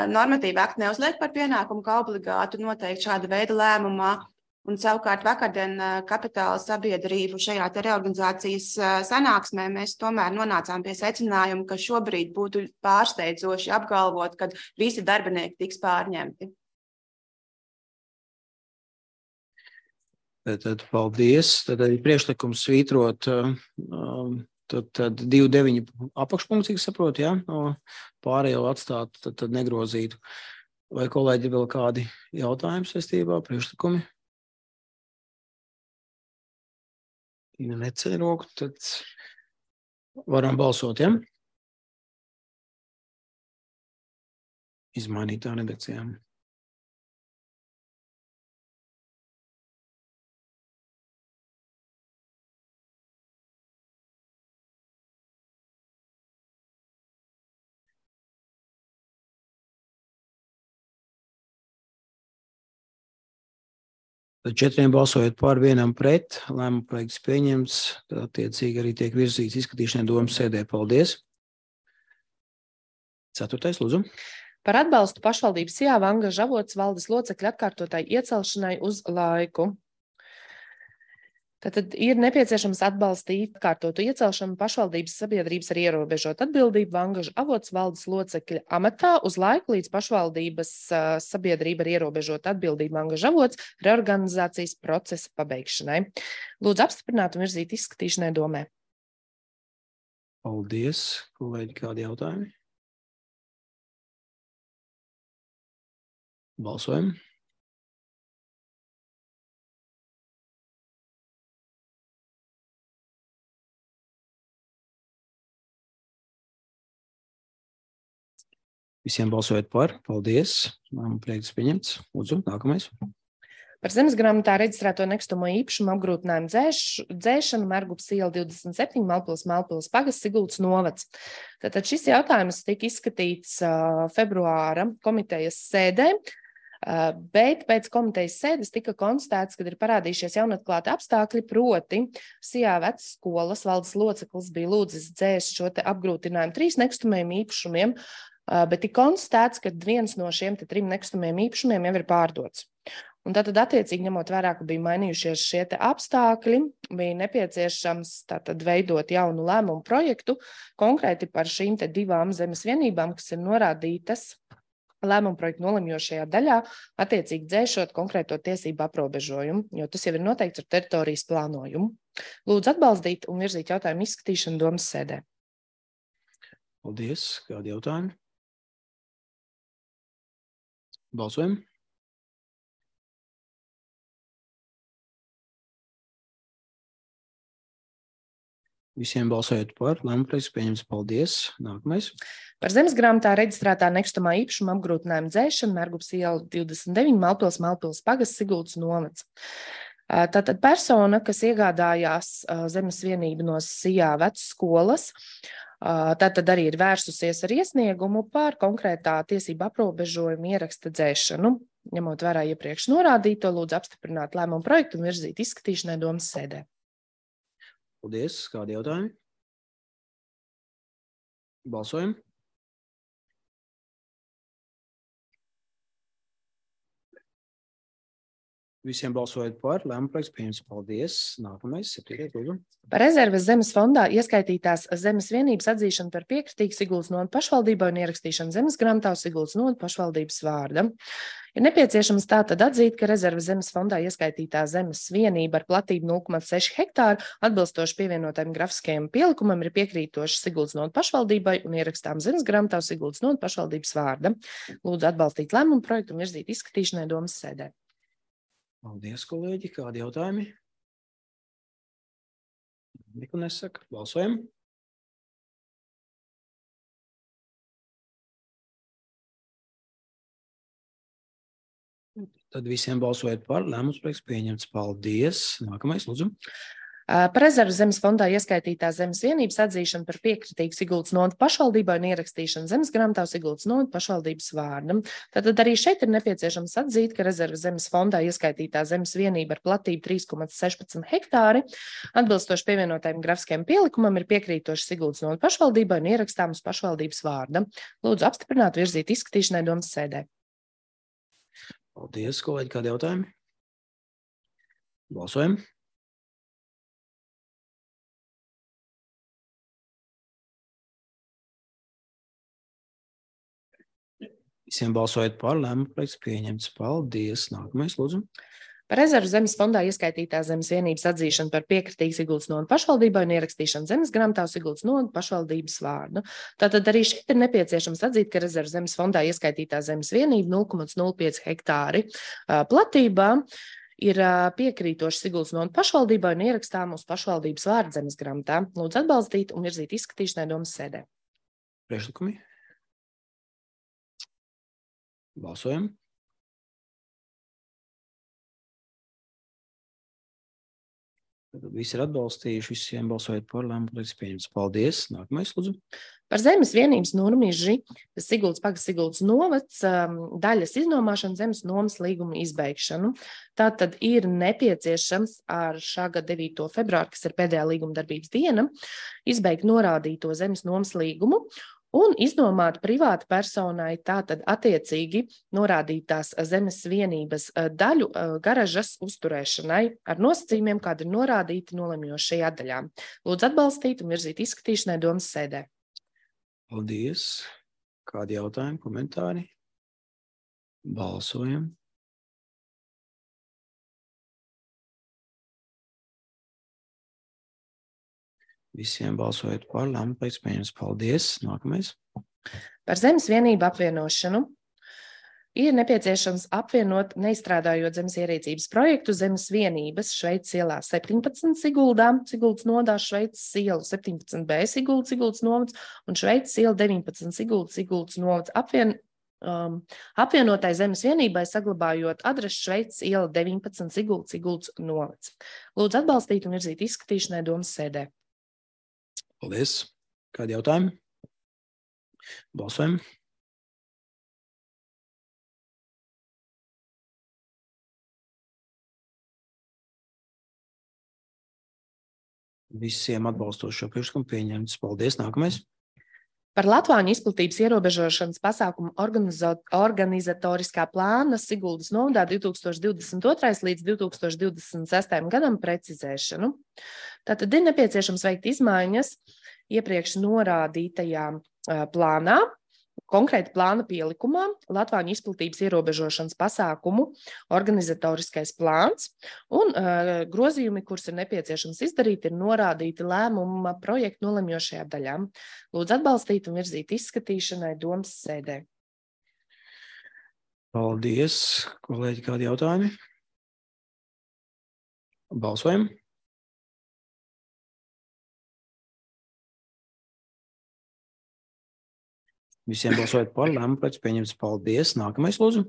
normatīvi akti neuzliek par pienākumu, kā obligātu noteikti šāda veida lēmumā. Un savukārt vakardien kapitāla sabiedrību šajā te reorganizācijas sanāksmē mēs tomēr nonācām pie secinājuma, ka šobrīd būtu pārsteidzoši apgalvot, ka visi darbinieki tiks pārņemti. Tad paldies. Tad arī priekšlikums svītrot tad 2.9 apakšpunkts, cik saprotu, ja? Pārējo atstāt, tad negrozītu. Vai kolēģi vēl kādi jautājumi saistībā, priekšlikumi? Ja neceļ roku, tad varam balsot, ja? Izmainītā redakcijām. Tad 4 balsojot par, 1 pret, lēmuma projekts pieņemts, tad attiecīgi arī tiek virzīts izskatīšanai domas sēdē. Paldies. 4. lūdzu. Par atbalstu pašvaldības SIA Vangaža avots valdes locekļu atkārtotai iecelšanai uz laiku. Tad ir nepieciešams atbalstīt atkārtotu iecelšanu pašvaldības sabiedrības ar ierobežotu atbildību Vangaža avots valdes locekļa amatā uz laiku līdz pašvaldības sabiedrība ar ierobežotu atbildību Vangaža avots reorganizācijas procesa pabeigšanai. Lūdzu apstiprināt un virzīt izskatīšanai domē. Paldies. Kolēģi, kādi jautājumi? Balsojam. Visiem balsojot par. Paldies. Lēmuma projekts pieņemts. Lūdzu, nākamais. Par zemes grāmatā reģistrēto nekustamo īpašumu apgrūtinājumu dzēšanu Mergupas iela 27, Malpils pagasts, Siguldas novads. Tātad šis jautājums tika izskatīts februāra komitejas sēdē, bet pēc komitejas sēdes tika konstatēts, ka ir parādījušies jaunatklāti apstākļi, proti SIA vecskolas valdes loceklis bija lūdzis dzēst šo te apgrūtinājumu 3 nekustamajiem īpašumiem, bet tika konstatēts, ka viens no šiem 3 nekustamajiem īpašumiem jau ir pārdots. Un tātad attiecīgi ņemot vērā, ka bija mainījušies šie te apstākļi, bija nepieciešams tātad veidot jaunu lēmumu projektu konkrēti par šīm te 2 zemes vienībām, kas ir norādītas lēmumu projektu nolemjošajā daļā, attiecīgi dzēšot konkrēto tiesību aprobežojumu, jo tas jau ir noteikts ar teritorijas plānojumu. Lūdzu atbalstīt un virzīt jautājumu izskatīšanu domas sēdē. Paldies. Kādi jautājumi? Balsojam. Visiem balsojot par, lēmumu projekts pieņemts. Paldies. Nākamais. Par zemes grāmatā reģistrētā nekustamā īpašuma apgrūtinājuma dzēšanu Mērgupes iela 29 Malpils pagasts Siguldas novads. Tātad persona, kas iegādājās zemes vienību no SIA vecskolas, tātad arī ir vērsusies ar iesniegumu par konkrētā tiesību aprobežojumu ieraksta dzēšanu. Ņemot vērā iepriekš norādīto, lūdzu apstiprināt lēmumu projektu un virzīt izskatīšanai domas sēdē. Paldies. Kādi jautājumi? Balsojam. Visiem balsojot par, lēmumu projekts pieņemts. Paldies. Nākamais, 7. lūdzu. Par rezerves zemes fondā ieskaitītās zemes vienības atzīšanu par piekritīgu Siguldas novads pašvaldībai un ierakstīšanu zemes grāmatā uz Siguldas novads pašvaldības vārda. Ir nepieciešams tātad atzīt, ka rezerves zemes fondā ieskaitītā zemes vienība ar platību 0,6 hektāru atbilstoši pievienotajam grafiskajam pielikumam ir piekrītoši Siguldas novads pašvaldībai un ierakstām zemes grāmatā uz Siguldas novads pašvaldības vārda. Lūdzu atbalstīt lēmumu projektu un virzīt izskatīšanai domas sēdē. Paldies, kolēģi. Kādi jautājumi? Neko nesaka. Balsojam. Tad visiem balsojot par, lēmums projekts pieņemts. Paldies. Nākamais, lūdzu. Par rezerves zemes fondā ieskaitītā zemes vienības atzīšanu par piekritīgu Siguldas novads pašvaldībai un ierakstīšanu zemes grāmatā uz Siguldas novads pašvaldības vārda. Tātad arī šeit ir nepieciešams atzīt, ka rezerves zemes fondā ieskaitītā zemes vienība ar platību 3,16 hektāri atbilstoši pievienotajam grafiskajam pielikumam ir piekrītoši Siguldas novads pašvaldībai un ierakstām uz pašvaldības vārda. Lūdzu apstiprināt, virzīt izskatīšanai domas sēdē. Paldies, kolēģi. Kādi jautājumi? Balsojam. Visiem balsojot par, lēmumu projekts pieņemts. Paldies. Nākamais, lūdzu. Par rezervu zemes fondā ieskaitītā zemes vienības atzīšanu par piekritīgu Siguldas novads pašvaldībai un ierakstīšanu zemes grāmatā uz Siguldas novads pašvaldības vārdu. Tātad arī šeit ir nepieciešams atzīt, ka rezervu zemes fondā ieskaitītā zemes vienība 0,05 hektāri platībā ir piekrītoši Siguldas novads pašvaldībai un ierakstām uz pašvaldības vārdu zemes grāmatā. Lūdzu atbalstīt un virzīt izskatīšanai domas sēdē. Priekšlikumi. Balsojam. Tad visi ir atbalstījuši, visiem balsojot par, lēmumu projekts pieņemts. Paldies. Nākamais, lūdzu. Par zemes vienības nurmiži Siguldas pagasts Siguldas novads daļas iznomāšanu zemes nomas līguma izbeigšanu. Tātad ir nepieciešams ar šā gada 9. februāru, kas ir pēdējā līguma darbības diena, izbeigt norādīto zemes nomas līgumu un iznomāt privāta personai tātad attiecīgi norādītās zemes vienības daļu garažas uzturēšanai ar nosacījumiem, kādi ir norādīti nolemjošajā daļā. Lūdzu atbalstīt un virzīt izskatīšanai domas sēdē. Paldies. Kādi jautājumi, komentāri? Balsojam. Visiem balsojot par, lēmumu projekts pieņemts. Paldies. Nākamais. Par zemes vienību apvienošanu ir nepieciešams apvienot neizstrādājot zemes ierīcības projektu zemes vienības Šveices ielā 17 Siguldā, Siguldas nodā, Šveices ielu 17B Siguldas novads un Šveices iela 19 Siguldas novads apvienotai zemes vienībai saglabājot adresi Šveices iela 19 Siguldas novads. Lūdzu atbalstīt un virzīt izskatīšanai domas sēdē. Paldies. Kādi jautājumi? Balsojam. Visiem atbalstošo priekšlikumu pieņemts. Paldies. Nākamais. Par Latvāņu izplatības ierobežošanas pasākumu organizatoriskā plāna Siguldas novadā 2022. līdz 2026. gadam precizēšanu. Tātad ir nepieciešams veikt izmaiņas iepriekš norādītajā plānā, konkrēti plāna pielikumā, Latvāņu izplatības ierobežošanas pasākumu organizatoriskais plāns un grozījumi, kurus ir nepieciešams izdarīt, ir norādīti lēmuma projektu nolemjošajā daļā. Lūdzu atbalstīt un virzīt izskatīšanai domas sēdē. Paldies. Kolēģi, kādi jautājumi? Balsojam. Visiem balsojot par, lēmumu projekts pieņemts. Paldies. Nākamais, lūdzu.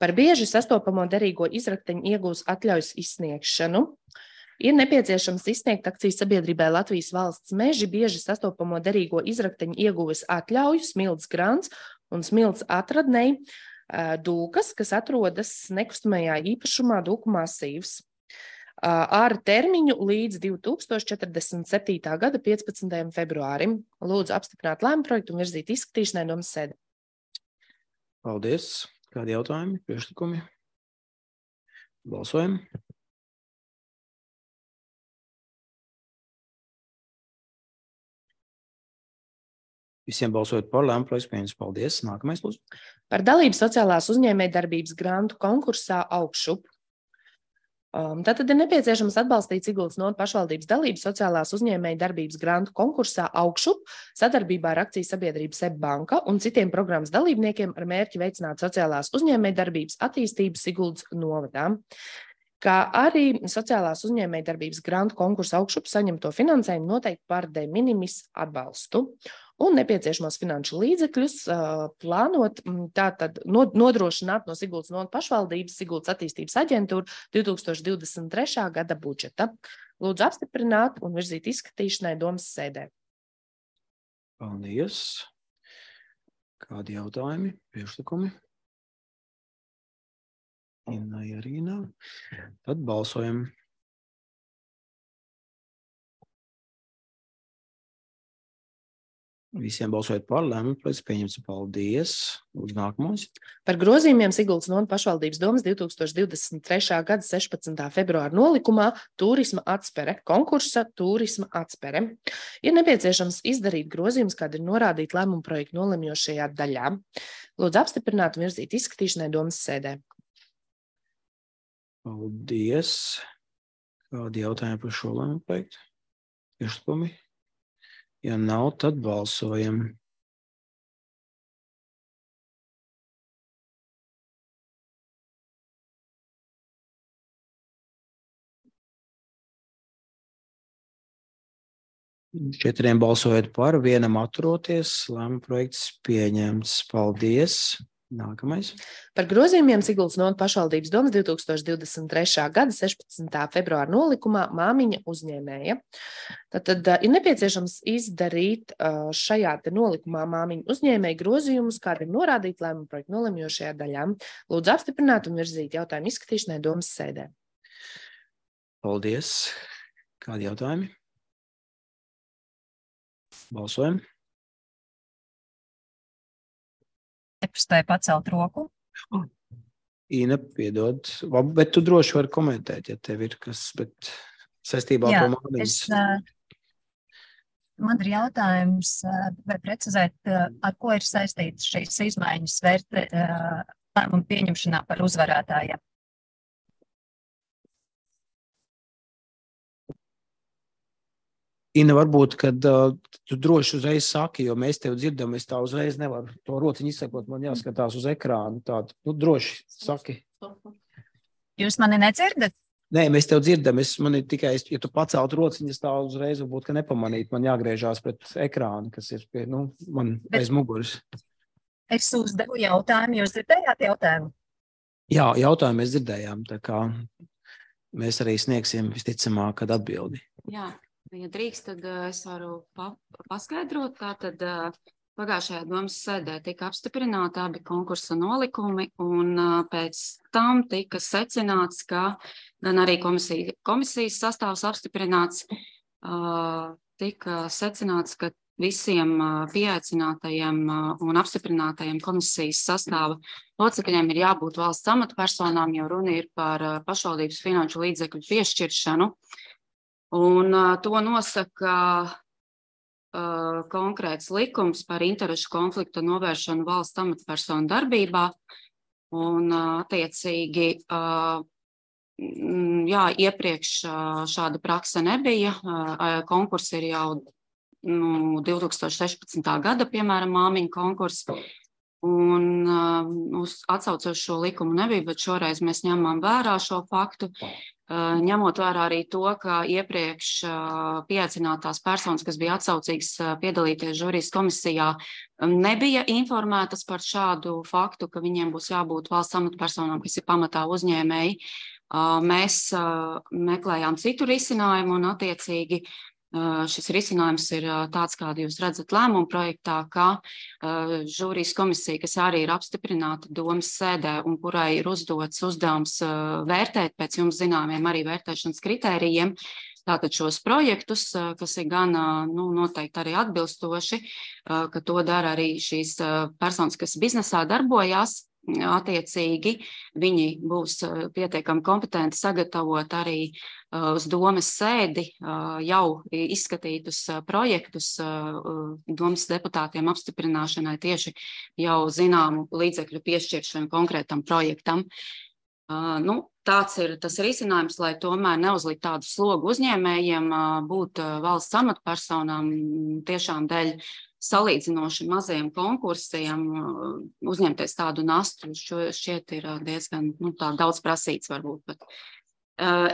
Par bieži sastopamo derīgo izrakteņu iegūs atļaujas izsniegšanu. Ir nepieciešams izsniegt akcijas sabiedrībai Latvijas valsts meži bieži sastopamo derīgo izrakteņu ieguves atļauju Smilts grants un Smilts atradnei Dūkas, kas atrodas nekustamajā īpašumā Dūku masīvs. Ar termiņu līdz 2047. gada 15. februārim. Lūdzu apstiprināt lēmumu projektu un virzīt izskatīšanai domas sēdē. Paldies. Kādi jautājumi, priekšlikumi? Balsojam. Visiem balsojot par, lēmumu projekts pieņemts. Paldies. Nākamais, lūdzu. Par dalību sociālās uzņēmējdarbības grantu konkursā Augšup. Tātad ir nepieciešams atbalstīt Siguldas novadas pašvaldības dalību sociālās uzņēmējdarbības grantu konkursā Augšup sadarbībā ar akcijas sabiedrību SEB banka un citiem programmas dalībniekiem ar mērķi veicināt sociālās uzņēmējdarbības attīstību Siguldas novadā. Kā arī sociālās uzņēmējdarbības grantu konkursa Augšup saņemto finansējumu noteikti par de minimis atbalstu un nepieciešamos finanšu līdzekļus plānot tātad nodrošināt no Siguldas novadas pašvaldības Siguldas attīstības aģentūra 2023. gada budžeta. Lūdzu apstiprināt un virzīt izskatīšanai domas sēdē. Paldies. Kādi jautājumi, priekšlikumi? Inai arī nav. Tad balsojam. Visiem balsojot par, lēmumu projekts pieņemts. Paldies. Lūdzu, nākamais. Par grozījumiem Siguldas novadas pašvaldības domas 2023. gada 16. februāra nolikumā turisma atspere, konkursa turisma atspere. Ir nepieciešams izdarīt grozījumus, kādi ir norādīti lēmumu projektu nolemjošajā daļā. Lūdzu apstiprināt un virzīt izskatīšanai domas sēdē. Paldies. Kādi jautājumi par šo lēmumu projektu? Priekšlikumi? Ja nav, tad balsojam. Četriem balsojot par, vienam atturoties, lēmuma projekts pieņemts. Paldies. Nākamais. Par grozījumiem Siguldas novadas pašvaldības domas 2023. gada 16. februāra nolikumā māmiņa uzņēmēja. Tad ir nepieciešams izdarīt šajā te nolikumā māmiņa uzņēmēja grozījumus, kādi ir norādīti lēmuma projektu nolemjošajā daļā. Lūdzu apstiprināt un virzīt jautājumu izskatīšanai domas sēdē. Paldies. Kādi jautājumi? Balsojam. Neprastāja pacelt roku. Ina, piedod, bet tu droši vari komentēt, ja tev ir kas, bet saistībā ar to māmiņas. Man ir jautājums, vai precizēt, ar ko ir saistīts šīs izmaiņas lēmumu pieņemšanā par uzvarētājiem. Ina, varbūt, kad tu droši uzreiz saki, jo mēs tev dzirdam, es tā uzreiz nevaru to rociņu izsakot, man jāskatās uz ekrānu. Tādu, droši saki. Jūs mani nedzirdat? Nē, mēs tev dzirdam, man ir tikai, ja tu pacelt rociņas tā uzreiz, varbūt, ka nepamanīt, man jāgriežās pret ekrānu, kas ir pie, man aiz muguras. Es uzdevu jautājumu, jūs dzirdējāt jautājumu? Jā, jautājumu mēs dzirdējām, tā kā mēs arī sniegsim visticamāk, kad atbildi. Jā. Ja drīkst, tad es varu paskaidrot. Tātad pagājušajā domas sēdē tika apstiprināti abi konkursa nolikumi, un pēc tam tika secināts, ka gan arī komisijas sastāvs apstiprināts, tika secināts, ka visiem pieaicinātajiem un apstiprinātajiem komisijas sastāva locekļiem ir jābūt valsts amatpersonām, jo runa ir par pašvaldības finanšu līdzekļu piešķiršanu. Un to nosaka konkrēts likums par interešu konflikta novēršanu valsts amatpersonu darbībā. Un attiecīgi, iepriekš šāda prakse nebija. Konkursi ir jau 2016. gada, piemēram, māmiņu konkursi. Un atsaucot šo likumu nebija, bet šoreiz mēs ņemam vērā šo faktu, ņemot vērā arī to, ka iepriekš pieaicinātās personas, kas bija atsaucīgas piedalīties žūrijas komisijā, nebija informētas par šādu faktu, ka viņiem būs jābūt valsts amatpersonām, kas ir pamatā uzņēmēji. Mēs meklējām citu risinājumu un attiecīgi šis risinājums ir tāds, kādu jūs redzat lēmumu projektā, ka žūrijas komisija, kas arī ir apstiprināta domas sēdē un kurai ir uzdots uzdevums vērtēt pēc jums zināmiem arī vērtēšanas kritērijiem, tātad šos projektus, kas ir gan noteikti arī atbilstoši, ka to dara arī šīs personas, kas biznesā darbojās. Attiecīgi viņi būs pietiekami kompetenti sagatavot arī uz domas sēdi jau izskatītus projektus domas deputātiem apstiprināšanai tieši jau zināmu līdzekļu piešķiršanu konkrētam projektam. Tāds ir tas risinājums, lai tomēr neuzlikt tādu slogu uzņēmējiem, būt valsts amatpersonām tiešām dēļ salīdzinoši maziem konkursiem, uzņemties tādu nastu, šķiet ir diezgan daudz prasīts varbūt. Bet.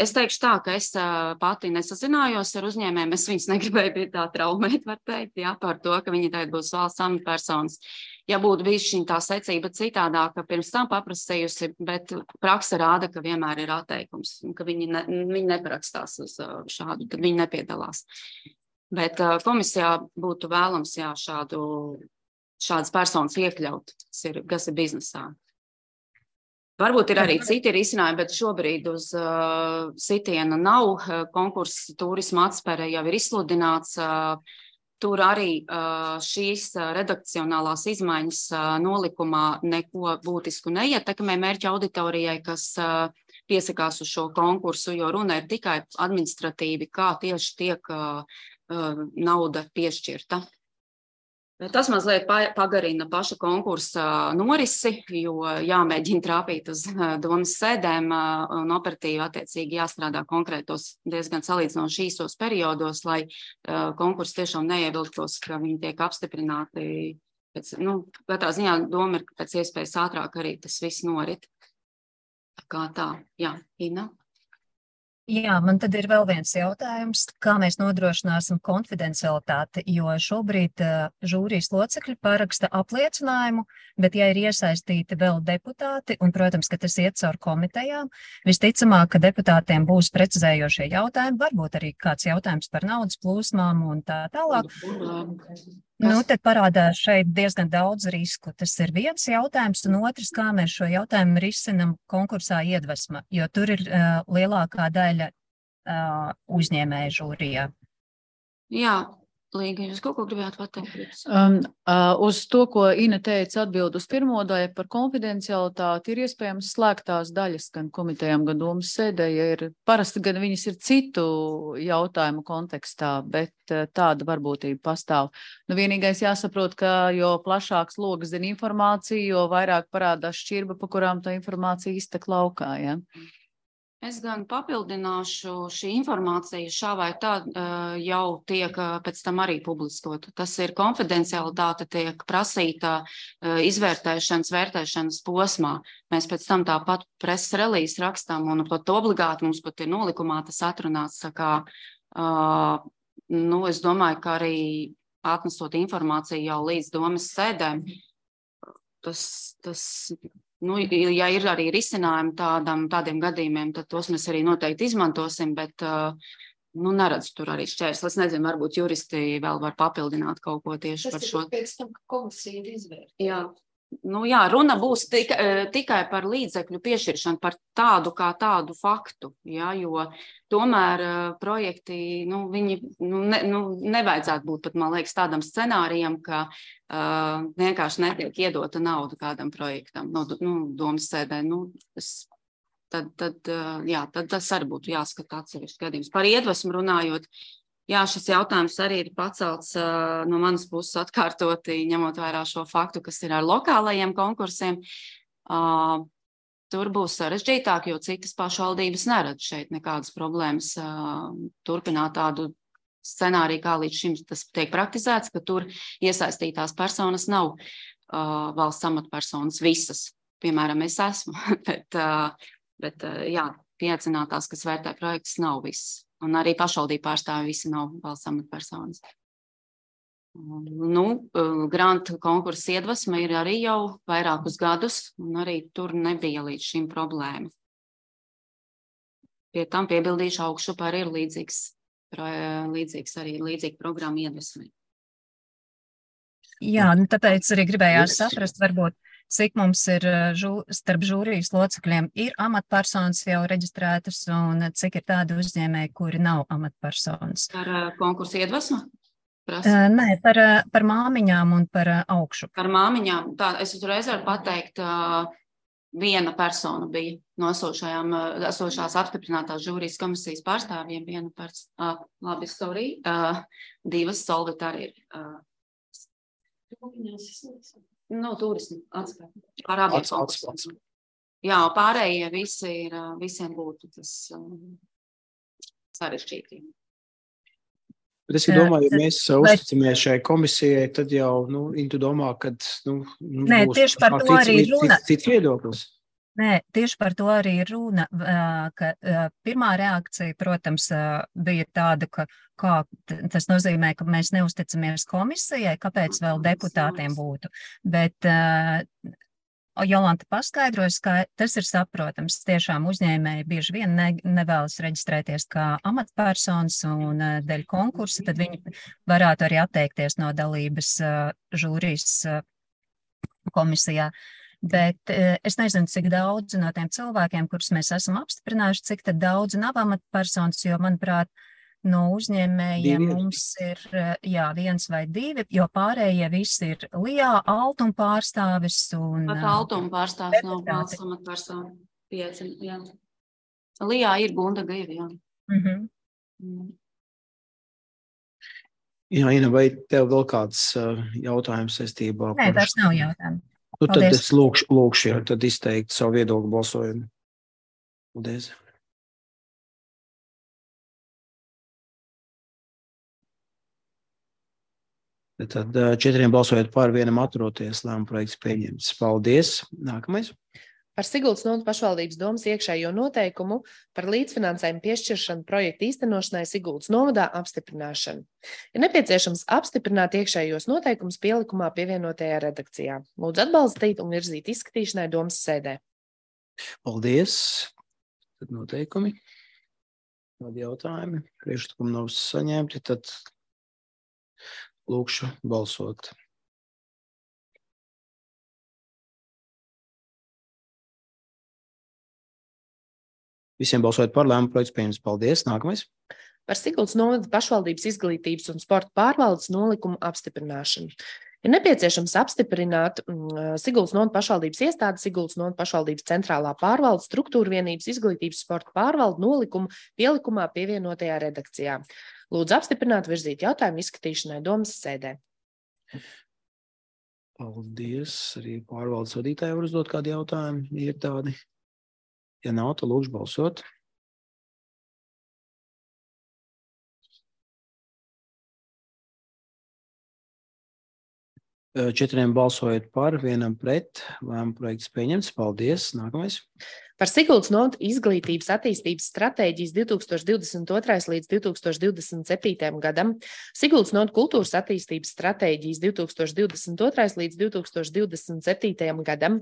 Es teikšu tā, ka es pati nesazinājos ar uzņēmējiem, es viņus negribēju pie tā traumēt, var teikt, par to, ka viņi tagad būs valsts amatpersonas. Ja būtu bijis šī tā secība citādāka, pirms tam paprasījusi, bet praksa rāda, ka vienmēr ir atteikums, un ka viņi neparakstās uz šādu, tad viņi nepiedalās. Bet komisijā būtu vēlams šādas personas iekļaut, kas ir biznesā. Varbūt ir arī citi risinājumi, bet šobrīd uz sitiena nav. Konkurss turisma atspere jau ir izsludināts. Tur arī šīs redakcionālās izmaiņas nolikumā neko būtisku neietekmē mērķa auditorijai, kas piesakās uz šo konkursu, jo runa ir tikai administratīvi, kā tieši tiek nauda piešķirta. Tas mazliet pagarina paša konkursa norisi, jo jāmēģina trāpīt uz domas sēdēm un operatīvi attiecīgi jāstrādā konkrētos diezgan salīdzinoši īsos periodos, lai konkurss tiešām neievilktos, ka viņi tiek apstiprināti. Katrā ziņā doma ir, ka pēc iespējas ātrāk arī tas viss norit. Kā tā? Jā, Ina? Jā, man tad ir vēl viens jautājums, kā mēs nodrošināsim konfidencialitāti, jo šobrīd žūrijas locekļi paraksta apliecinājumu, bet ja ir iesaistīti vēl deputāti, un, protams, ka tas iet caur komitejām, visticamāk, ka deputātiem būs precizējošie jautājumi, varbūt arī kāds jautājums par naudas plūsmām un tā tālāk. Tad parādās šeit diezgan daudz risku. Tas ir viens jautājums, un otrs, kā mēs šo jautājumu risinam konkursā Iedvesma, jo tur ir lielākā daļa uzņēmēju žūrijā. Jā, Līga, jūs kaut ko gribētu pateikt? Uz to, ko Ina teica, atbild uz pirmo daļu par konfidencialitāti, ir iespējams slēgtās daļas gan komitejām, gan domas sēdē, ja ir parasti, gan viņas ir citu jautājumu kontekstā, bet tāda varbūtība pastāv. Vienīgais jāsaprot, ka jo plašāks logs zina informāciju, jo vairāk parādās šķirba, pa kurām tā informācija iztek laukā, ja? Es gan papildināšu, šī informācija šā vai tā jau tiek pēc tam arī publiskota. Tas ir konfidencialitāte, tiek prasīta vērtēšanas posmā. Mēs pēc tam tāpat preses relīzi rakstām un pat obligāti mums pat ir nolikumā tas atrunāts. Es domāju, ka arī atnesot informāciju jau līdz domas sēdēm, ja ir arī risinājumi tādiem gadījumiem, tad tos mēs arī noteikti izmantosim, bet neredzu tur arī šķērsli. Es nezinu, varbūt juristi vēl var papildināt kaut ko tieši par šo. Tas ir pēc tam, ka komisija ir izvērtīta. Jā, runa būs tikai par līdzekļu piešķiršanu, par tādu kā tādu faktu, jo tomēr projekti, viņi nevajadzētu būt pat, man liekas, tādam scenārijam, ka vienkārši netiek iedota nauda kādam projektam, domas sēdē. Tad tas arī būtu jāskata atsevišķi gadījums. Par Iedvesmu runājot, jā, šis jautājums arī ir pacelts no manas puses atkārtoti, ņemot vērā šo faktu, kas ir ar lokālajiem konkursiem. Tur būs sarežģītāk, jo citas pašvaldības neredz šeit nekādas problēmas turpināt tādu scenāriju, kā līdz šim tas tiek praktizēts, ka tur iesaistītās personas nav valsts amatpersonas visas. Piemēram, es esmu, bet jā, pieaicinātās, kas vērtē projektus, nav viss. Un arī pašvaldību pārstāvi visi nav valsts amatpersonas. Grantu konkursa iedvesma ir arī jau vairākus gadus, un arī tur nebija līdz šim problēma. Pie tam piebildīšu augšupā arī ir līdzīga programma iedvesmai. Jā, tāpēc arī gribējās saprast, varbūt, cik mums ir starp žūrijas locekļiem ir amatpersonas jau reģistrētas un cik ir tādi uzņēmēji, kuri nav amatpersonas. Par konkursu iedvesmu? Nē, par māmiņām un par augšu. Par māmiņām, es uzreiz varu pateikt, viena persona bija no esošās apstiprinātās žūrijas komisijas pārstāvjiem, divas Solvita arī ir. Turismu atskaita. Par abiem konkursiem. Jā, pārējie visiem būtu tas sarežģīti. Bet es domāju, ja mēs uzticamies šai komisijai, tad jau, tu domā, kad, Nē, tieši par to arī runa. Cits viedoklis. Nē, tieši par to arī runa, ka pirmā reakcija, protams, bija tāda, ka tas nozīmē, ka mēs neusticamies komisijai, kāpēc vēl deputātiem būtu. Bet Jolanta paskaidrojas, ka tas ir saprotams. Tiešām uzņēmēji bieži vien nevēlas reģistrēties kā amatpersonas un dēļ konkursa, tad viņi varētu arī atteikties no dalības žūrijas komisijā. Bet es nezinu, cik daudz no tiem cilvēkiem, kurus mēs esam apstiprinājuši, cik tad daudz nav amatpersonas, jo, manuprāt, no uzņēmējiem mums ir viens vai divi, jo pārējie visi ir Lijā, Altuma pārstāvis un... Pat Altuma pārstāvis nav valsts amatpersona. 5, jā. Lijā ir Gunda Gaiva, jā. Jā, Ina, vai tev vēl kāds jautājums saistībā? Nē, vairs nav jautājumu. Tad es lūkšu jau tad izteikt savu viedokli balsojumu. Paldies. Tad 4 balsojot par, 1 atturoties, lēmuma projekts pieņemts. Paldies. Nākamais. Par Siguldas novadas pašvaldības domas iekšējo noteikumu par līdzfinansējumu piešķiršanu projektu īstenošanai Siguldas novadā apstiprināšanu. Ir nepieciešams apstiprināt iekšējos noteikumus pielikumā pievienotajā redakcijā. Lūdzu atbalstīt un virzīt izskatīšanai domas sēdē. Paldies. Tad noteikumi. Kādi jautājumi? Priekšlikumi nav saņemti, tad lūkšu balsot. Visiem balsojot par, lēmuma projekts pieņemts. Paldies. Nākamais. Par Siguldas novadas pašvaldības izglītības un sporta pārvaldes nolikumu apstiprināšanu. Ir nepieciešams apstiprināt Siguldas novadas pašvaldības iestādes, Siguldas novadas pašvaldības centrālā pārvalde, struktūra vienības izglītības sporta pārvalde nolikumu pielikumā pievienotajā redakcijā. Lūdzu apstiprināt, virzīt jautājumu izskatīšanai domas sēdē. Paldies. Arī pārvaldes vadītāji var uzdot kādu jautājumu, ja ir tādi. Ja nav, tad lūkšu balsot. Četriem balsojot par, 1 pret, lēmuma projekts pieņemts. Paldies. Nākamais. Par Siguldas novadas izglītības attīstības stratēģijas 2022. līdz 2027. gadam, Siguldas novadas kultūras attīstības stratēģijas 2022. līdz 2027. gadam,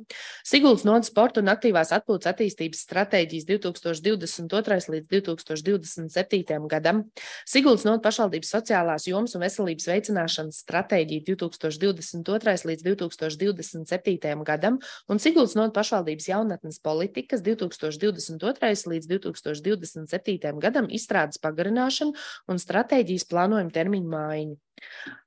Siguldas novadas sporta un aktīvās atpūtas attīstības stratēģijas 2022. līdz 2027. gadam, Siguldas novadas pašvaldības sociālās jomas un veselības veicināšanas stratēģija 2022. līdz 2027. gadam un Siguldas novadas pašvaldības jaunatnes politikas 2022. līdz 2027. gadam izstrādes pagarināšanu un stratēģijas plānojuma termiņu maiņu.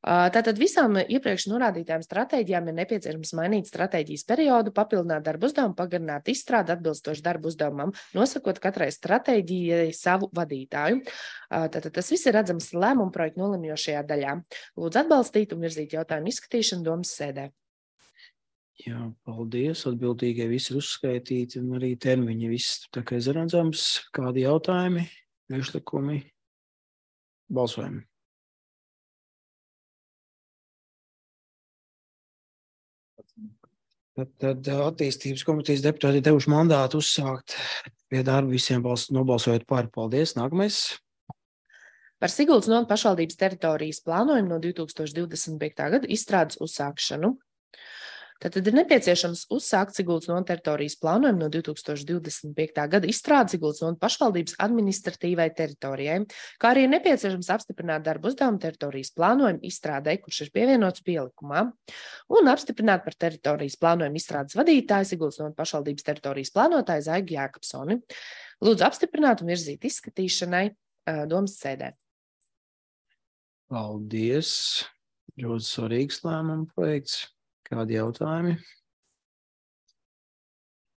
Tātad visām iepriekš norādītām stratēģijām ir nepieciešams mainīt stratēģijas periodu, papildināt darbu uzdevumu, pagarināt izstrādi atbilstoši darbu uzdevumam, nosakot katrai stratēģijai savu vadītāju. Tātad tas viss ir redzams lēmuma projekta nolemjošajā daļā. Lūdzu atbalstīt un virzīt jautājumu izskatīšanu domas sēdē. Jā, paldies. Atbildīgie visi ir uzskaitīti un arī termiņi viss tā kā izredzams. Kādi jautājumi, priekšlikumi? Balsojumi. Tad attīstības komitejas deputāti devuši mandātu uzsākt pie darba visiem nobalsojot par. Paldies. Nākamais. Par Siguldas novada pašvaldības teritorijas plānojumu no 2025. gada izstrādes uzsākšanu. Tātad ir nepieciešams uzsākt Siguldas novada teritorijas plānojumu no 2025. gada izstrādes Siguldas novada pašvaldības administratīvai teritorijai, kā arī ir nepieciešams apstiprināt darbu uzdevumu teritorijas plānojumu izstrādē, kurš ir pievienots pielikumā, un apstiprināt par teritorijas plānojumu izstrādes vadītāju Siguldas novada pašvaldības teritorijas plānotāju Zaigu Jākapsoni. Lūdzu apstiprināt un virzīt izskatīšanai domas sēdē. Paldies. Ļoti svarīgs lēmuma projekts. Kādi jautājumi?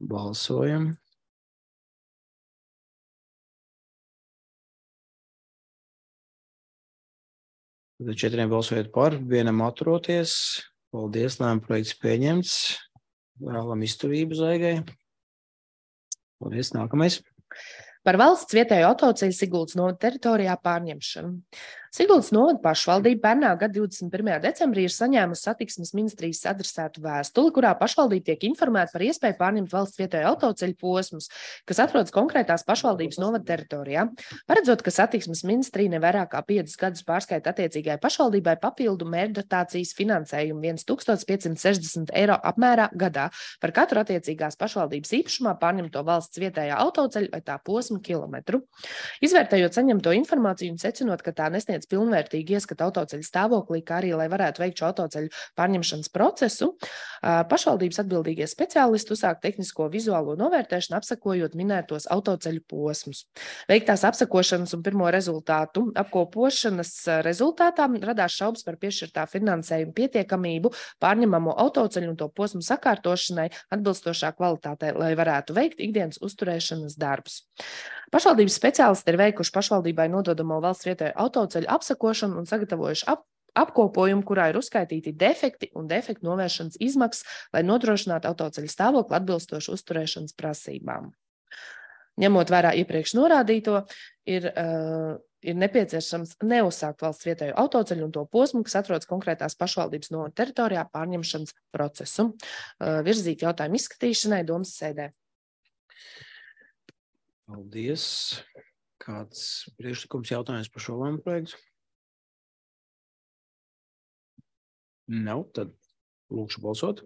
Balsojam. Tad 4 balsojot par, 1 atturoties. Paldies, lēmuma projekts pieņemts. Vēlam izturību Zaigai. Paldies, nākamais. Par valsts vietējo autoceļu Siguldas novada teritorijā pārņemšanu. Siguldas novada pašvaldība pērnā gada 21. decembrī ir saņēmusi satiksmes ministrijas adresētu vēstuli, kurā pašvaldība tiek informēta par iespēju pārņemt valsts vietējo autoceļu posmus, kas atrodas konkrētās pašvaldības novada teritorijā. Paredzot, ka satiksmes ministrija nevairāk kā 5 gadus pārskaita attiecīgai pašvaldībai papildu mērķdotācijas finansējumu 1560 eiro apmērā gadā par katru attiecīgās pašvaldības īpašumā pārņemto valsts vietējā autoceļu vai tā posmu kilometru. Izvērtējot saņemto informāciju un secinot, ka tā nesniedz pilnvērtīgi ieskatu autoceļu stāvoklī, kā arī, lai varētu veikt šo autoceļu pārņemšanas procesu, pašvaldības atbildīgie speciālisti uzsāk tehnisko vizuālo novērtēšanu, apsakojot minētos autoceļu posmus. Veiktās apsakošanas un pirmo rezultātu apkopošanas rezultātā radās šaubas par piešķirtā finansējuma pietiekamību pārņemamo autoceļu un to posmu sakārtošanai atbilstošā kvalitātei, lai varētu veikt ikdienas uzturēšanas darbus. Pašvaldības speciālisti ir veikuši pašvaldībai nododamo valsts vietējo autoceļu apsakošanu un sagatavojuši apkopojumu, kurā ir uzskaitīti defekti un defektu novēršanas izmaksas, lai nodrošinātu autoceļu stāvokli atbilstoši uzturēšanas prasībām. Ņemot vērā iepriekš norādīto, ir nepieciešams neuzsākt valsts vietējo autoceļu un to posmu, kas atrodas konkrētās pašvaldības novada teritorijā pārņemšanas procesu. Virzīt jautājumu izskatīšanai domas sēdē. Paldies. Kāds priekšlikums jautājums par šo lēmumu projektu? Nav, tad lūkšu balsot.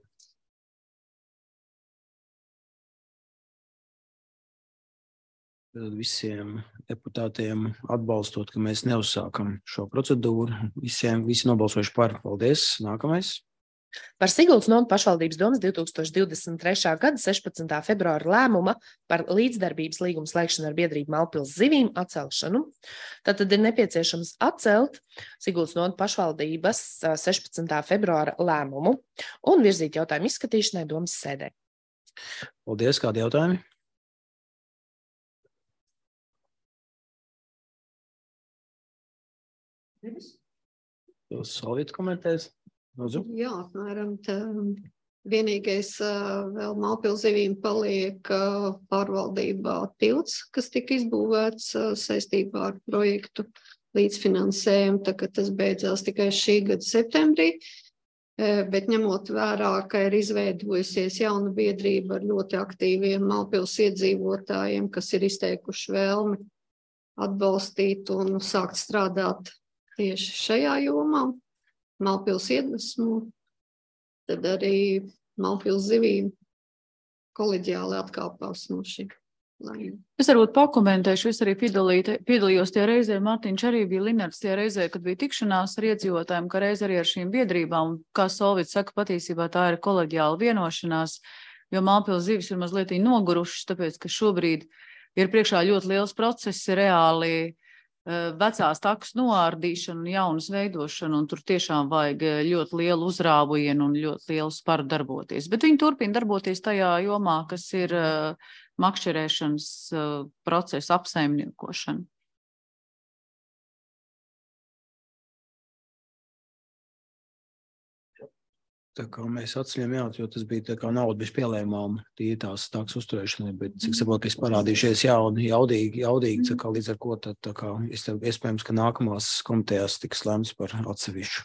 Tad visiem deputātiem atbalstot, ka mēs neuzsākam šo procedūru. Visi nobalsojuši par. Paldies. Nākamais. Par Siguldas novada pašvaldības domas 2023. gada 16. februāra lēmuma par līdzdarbības līgumu slēgšanu ar biedrību Malpils zivīm atcelšanu. Tātad ir nepieciešams atcelt Siguldas novada pašvaldības 16. februāra lēmumu un virzīt jautājumu izskatīšanai domas sēdē. Paldies. Kādi jautājumi? Solvīt komentēs? Jā, apmēram tā. Vienīgais vēl Malpils zivīm paliek pārvaldībā tilts, kas tika izbūvēts saistībā ar projektu līdzfinansējumu, tā ka tas beidzās tikai šī gada septembrī, bet ņemot vērā, ka ir izveidojusies jauna biedrība ar ļoti aktīviem Malpils iedzīvotājiem, kas ir izteikuši vēlmi atbalstīt un sākt strādāt tieši šajā jomā. Malpils iedvesmu, tad arī Malpils zivīm koleģiāli atkāpās no šī lēmuma. Es varbūt pakomentēšu, es arī piedalījos tajā reizē, Mārtiņš arī bija Linards tajā reizē, kad bija tikšanās ar iedzīvotājiem, ka reiz arī ar šīm biedrībām, kā Solvits saka, patiesībā tā ir koleģiāla vienošanās, jo Malpils zivis ir mazliet nogurušas, tāpēc, ka šobrīd ir priekšā ļoti liels process, reāli vecās takas noārdīšana un jaunas veidošana, un tur tiešām vajag ļoti lielu uzrāvienu un ļoti lielu sparu darboties. Bet viņi turpina darboties tajā jomā, kas ir makšķerēšanas procesa apsaimniekošana. Tā kā mēs atceļam, jā, jo tas bija tā kā nauda bez pielēmām, tie tās takas uzturēšanai, bet cik saprot, es parādījušies jaudīgi, tā kā līdz ar ko tad tā kā iespējams, ka nākamās komitejās tiks lēmts par atsevišķu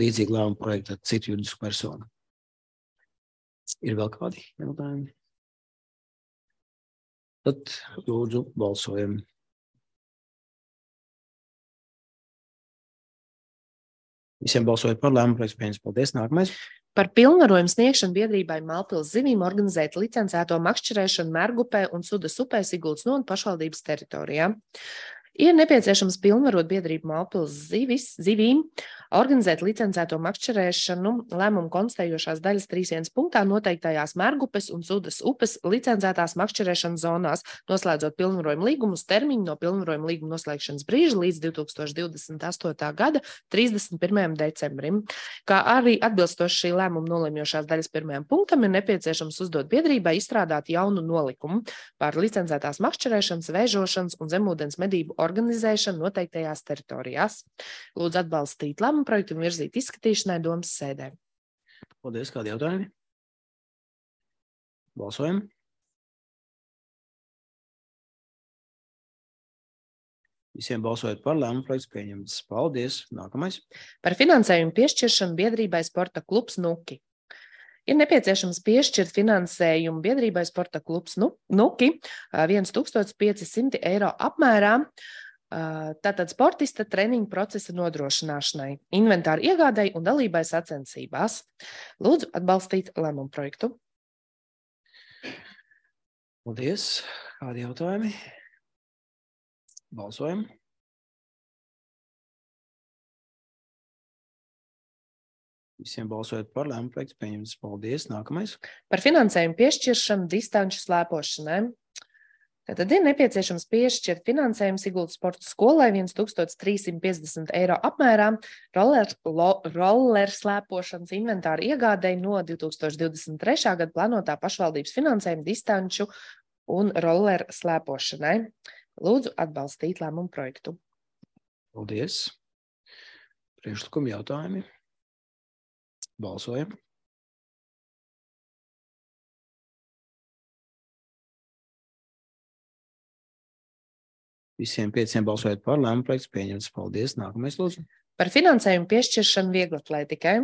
līdzīgu lēmumu projektu ar citu juridisku personu. Ir vēl kādi jautājumi? Tad lūdzu balsojam. Visiem balsojot par lēmumu projektu pieņems. Paldies. Nākamais. Par pilnvarojumu sniegšanu biedrībai Mālpils zivīm organizēt licencēto makšķerēšanu Mergupē un Sudas upē Siguldas novada pašvaldības teritorijā. Ir nepieciešams pilnvarot biedrību Mālpils zivīm organizēt licencēto makšķerēšanu lēmumu konstatējošās daļas 3.1 punktā noteiktajās Mergupes un Sudas upes licencētās makšķerēšanas zonās, noslēdzot pilnvarojumu līgumu uz termiņu no pilnvarojuma līguma noslēgšanas brīža līdz 2028. gada 31. decembrim. Kā arī atbilstoši šī lēmuma nolemjošās daļas 1. punktam ir nepieciešams uzdot biedrībai izstrādāt jaunu nolikumu par licencētās makšķerēšanas, vēžošanas un zemūdens medību organizēšanu noteiktajās teritorijās. Lūdzu atbalstīt lēmumu projektu un virzīt izskatīšanai domas sēdē. Paldies. Kādi jautājumi? Balsojam. Visiem balsojot par lēmumu projektu pieņemts. Paldies. Nākamais. Par finansējumu piešķiršanu biedrībai Sporta klubs Nuki. Ir nepieciešams piešķirt finansējumu biedrībai Sporta klubs Nuki 1500 eiro apmērā, tātad sportista treniņu procesa nodrošināšanai, inventāru iegādai un dalībai sacensībās. Lūdzu atbalstīt lēmumu projektu. Paldies. Kādi jautājumi? Balsojam. Visiem balsojot par lēmumu projektu pieņemts. Paldies. Nākamais. Par finansējumu piešķiršanu distanču slēpošanai. Tātad ir nepieciešams piešķirt finansējumu Siguldas sporta skolai 1350 eiro apmērā roller slēpošanas inventāru iegādei no 2023. gada plānotā pašvaldības finansējuma distanču un roller slēpošanai. Lūdzu atbalstīt lēmumu projektu. Paldies. Priekšlikumi jautājumi. Balsojam. Visiem 5 balsojot par lēmumu projektu pieņemts. Paldies. Nākamais lūdzu. Par finansējumu piešķiršanu vieglatlētikai.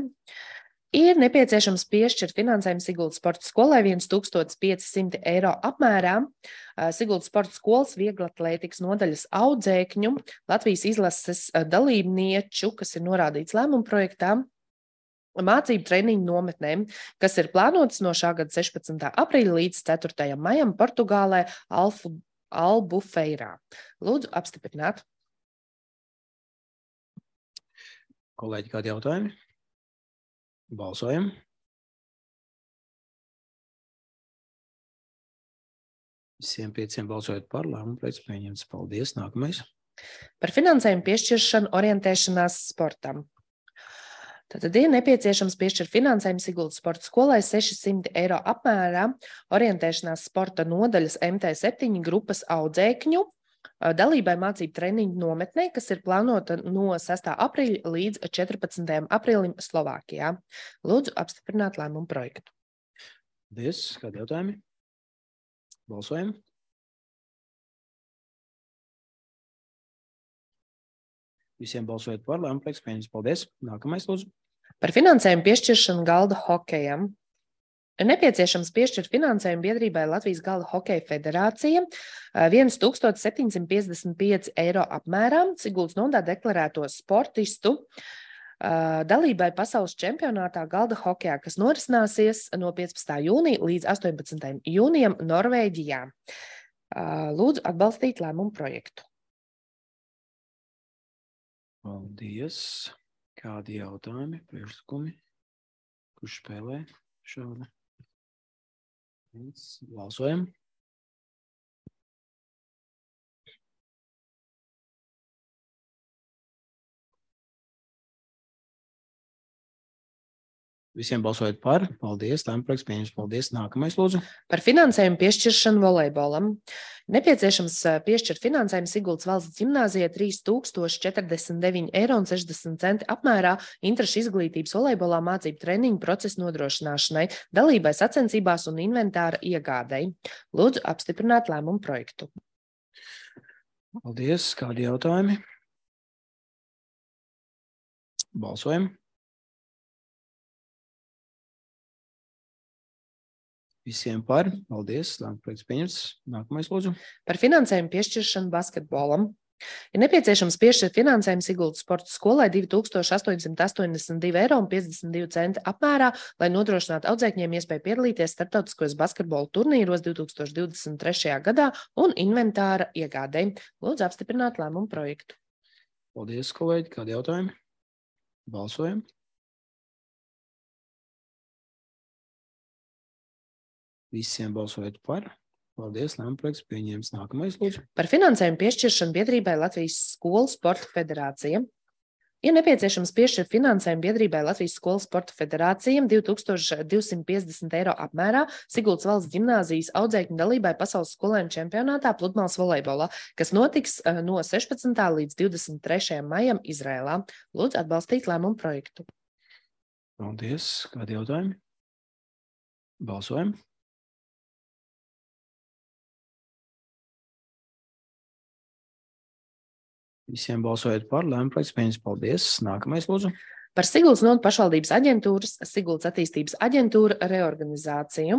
Ir nepieciešams piešķirt finansējumu Siguldas sporta skolai 1500 eiro apmērā. Siguldas sporta skolas vieglatlētikas nodaļas audzēkņu Latvijas izlases dalībnieču, kas ir norādīts lēmumu projektā, mācību treniņu nometnēm, kas ir plānotas no šā gada 16. aprīļa līdz 4. maijam Portugālē Albufeirā. Lūdzu apstiprināt. Kolēģi, kādi jautājumi? Balsojam. Visiem 5 balsojot par lēmumu projektu pieņemts. Paldies. Nākamais. Par finansējumu piešķiršanu orientēšanās sportam. Tātad ir nepieciešams piešķirt finansējumu Siguldas sporta skolai 600 eiro apmērā orientēšanās sporta nodaļas MT7 grupas audzēkņu dalībai mācību treniņu nometnē, kas ir plānota no 6. aprīļa līdz 14. aprīlim Slovākijā. Lūdzu apstiprināt lēmumu projektu. Paldies. Kādi jautājumi? Balsojam. Visiem balsojot par lēmumu projektu pieņemts. Paldies. Nākamais lūdzu. Par finansējumu piešķiršanu galda hokejam. Ir nepieciešams piešķirt finansējumu biedrībai Latvijas galda hokeja federācija 1755 eiro apmērā Siguldas novadā deklarēto sportistu dalībai pasaules čempionātā galda hokejā, kas norisināsies no 15. jūnija līdz 18. jūnijam Norvēģijā. Lūdzu atbalstīt lēmumu projektu. Paldies. Kādi jautājumi, priekšlikumi? Kurš spēlē šādi? Balsojam. Visiem balsojot par. Paldies. Lēmumu projekts pieņemts. Paldies. Nākamais lūdzu. Par finansējumu piešķiršanu volejbolam. Nepieciešams piešķirt finansējumu Siguldas valsts ģimnāzijai 3049,60 eiro apmērā interešu izglītības volejbolā mācību treniņu procesu nodrošināšanai, dalībai sacensībās un inventāra iegādei. Lūdzu apstiprināt lēmumu projektu. Paldies. Kādi jautājumi? Balsojam. Visiem par. Paldies. Projekts pieņemts. Nākamais, lūdzu. Par finansējumu piešķiršanu basketbolam. Ir nepieciešams piešķirt finansējumu Siguldas sporta skolai 2882,52 eiro apmērā, lai nodrošinātu audzēkņiem iespēju piedalīties starptautiskos basketbola turnīros 2023. gadā un inventāra iegādē. Lūdzu apstiprināt lēmumu projektu. Paldies, kolēģi. Kādi jautājumi? Balsojam. Visiem balsojot par. Paldies, lēmuma projekts pieņēmis. Nākamais, lūdzu. Par finansējumu piešķiršanu biedrībai Latvijas Skolu sporta federācija. Ir nepieciešams piešķirt finansējumu biedrībai Latvijas Skolu sporta federācijam 2250 eiro apmērā Siguldas valsts ģimnāzijas audzēkņu dalībai pasaules skolēnu čempionātā pludmales volejbolā, kas notiks no 16. līdz 23. maijam Izrēlā. Lūdzu atbalstīt lēmumu projektu. Paldies. Kādi jautājumi? Balsojam. Visiem balsojot par, lēmuma projekts pieņemts. Paldies. Nākamais, lūdzu. Par Siguldas novads pašvaldības aģentūras, Siguldas attīstības aģentūra reorganizāciju.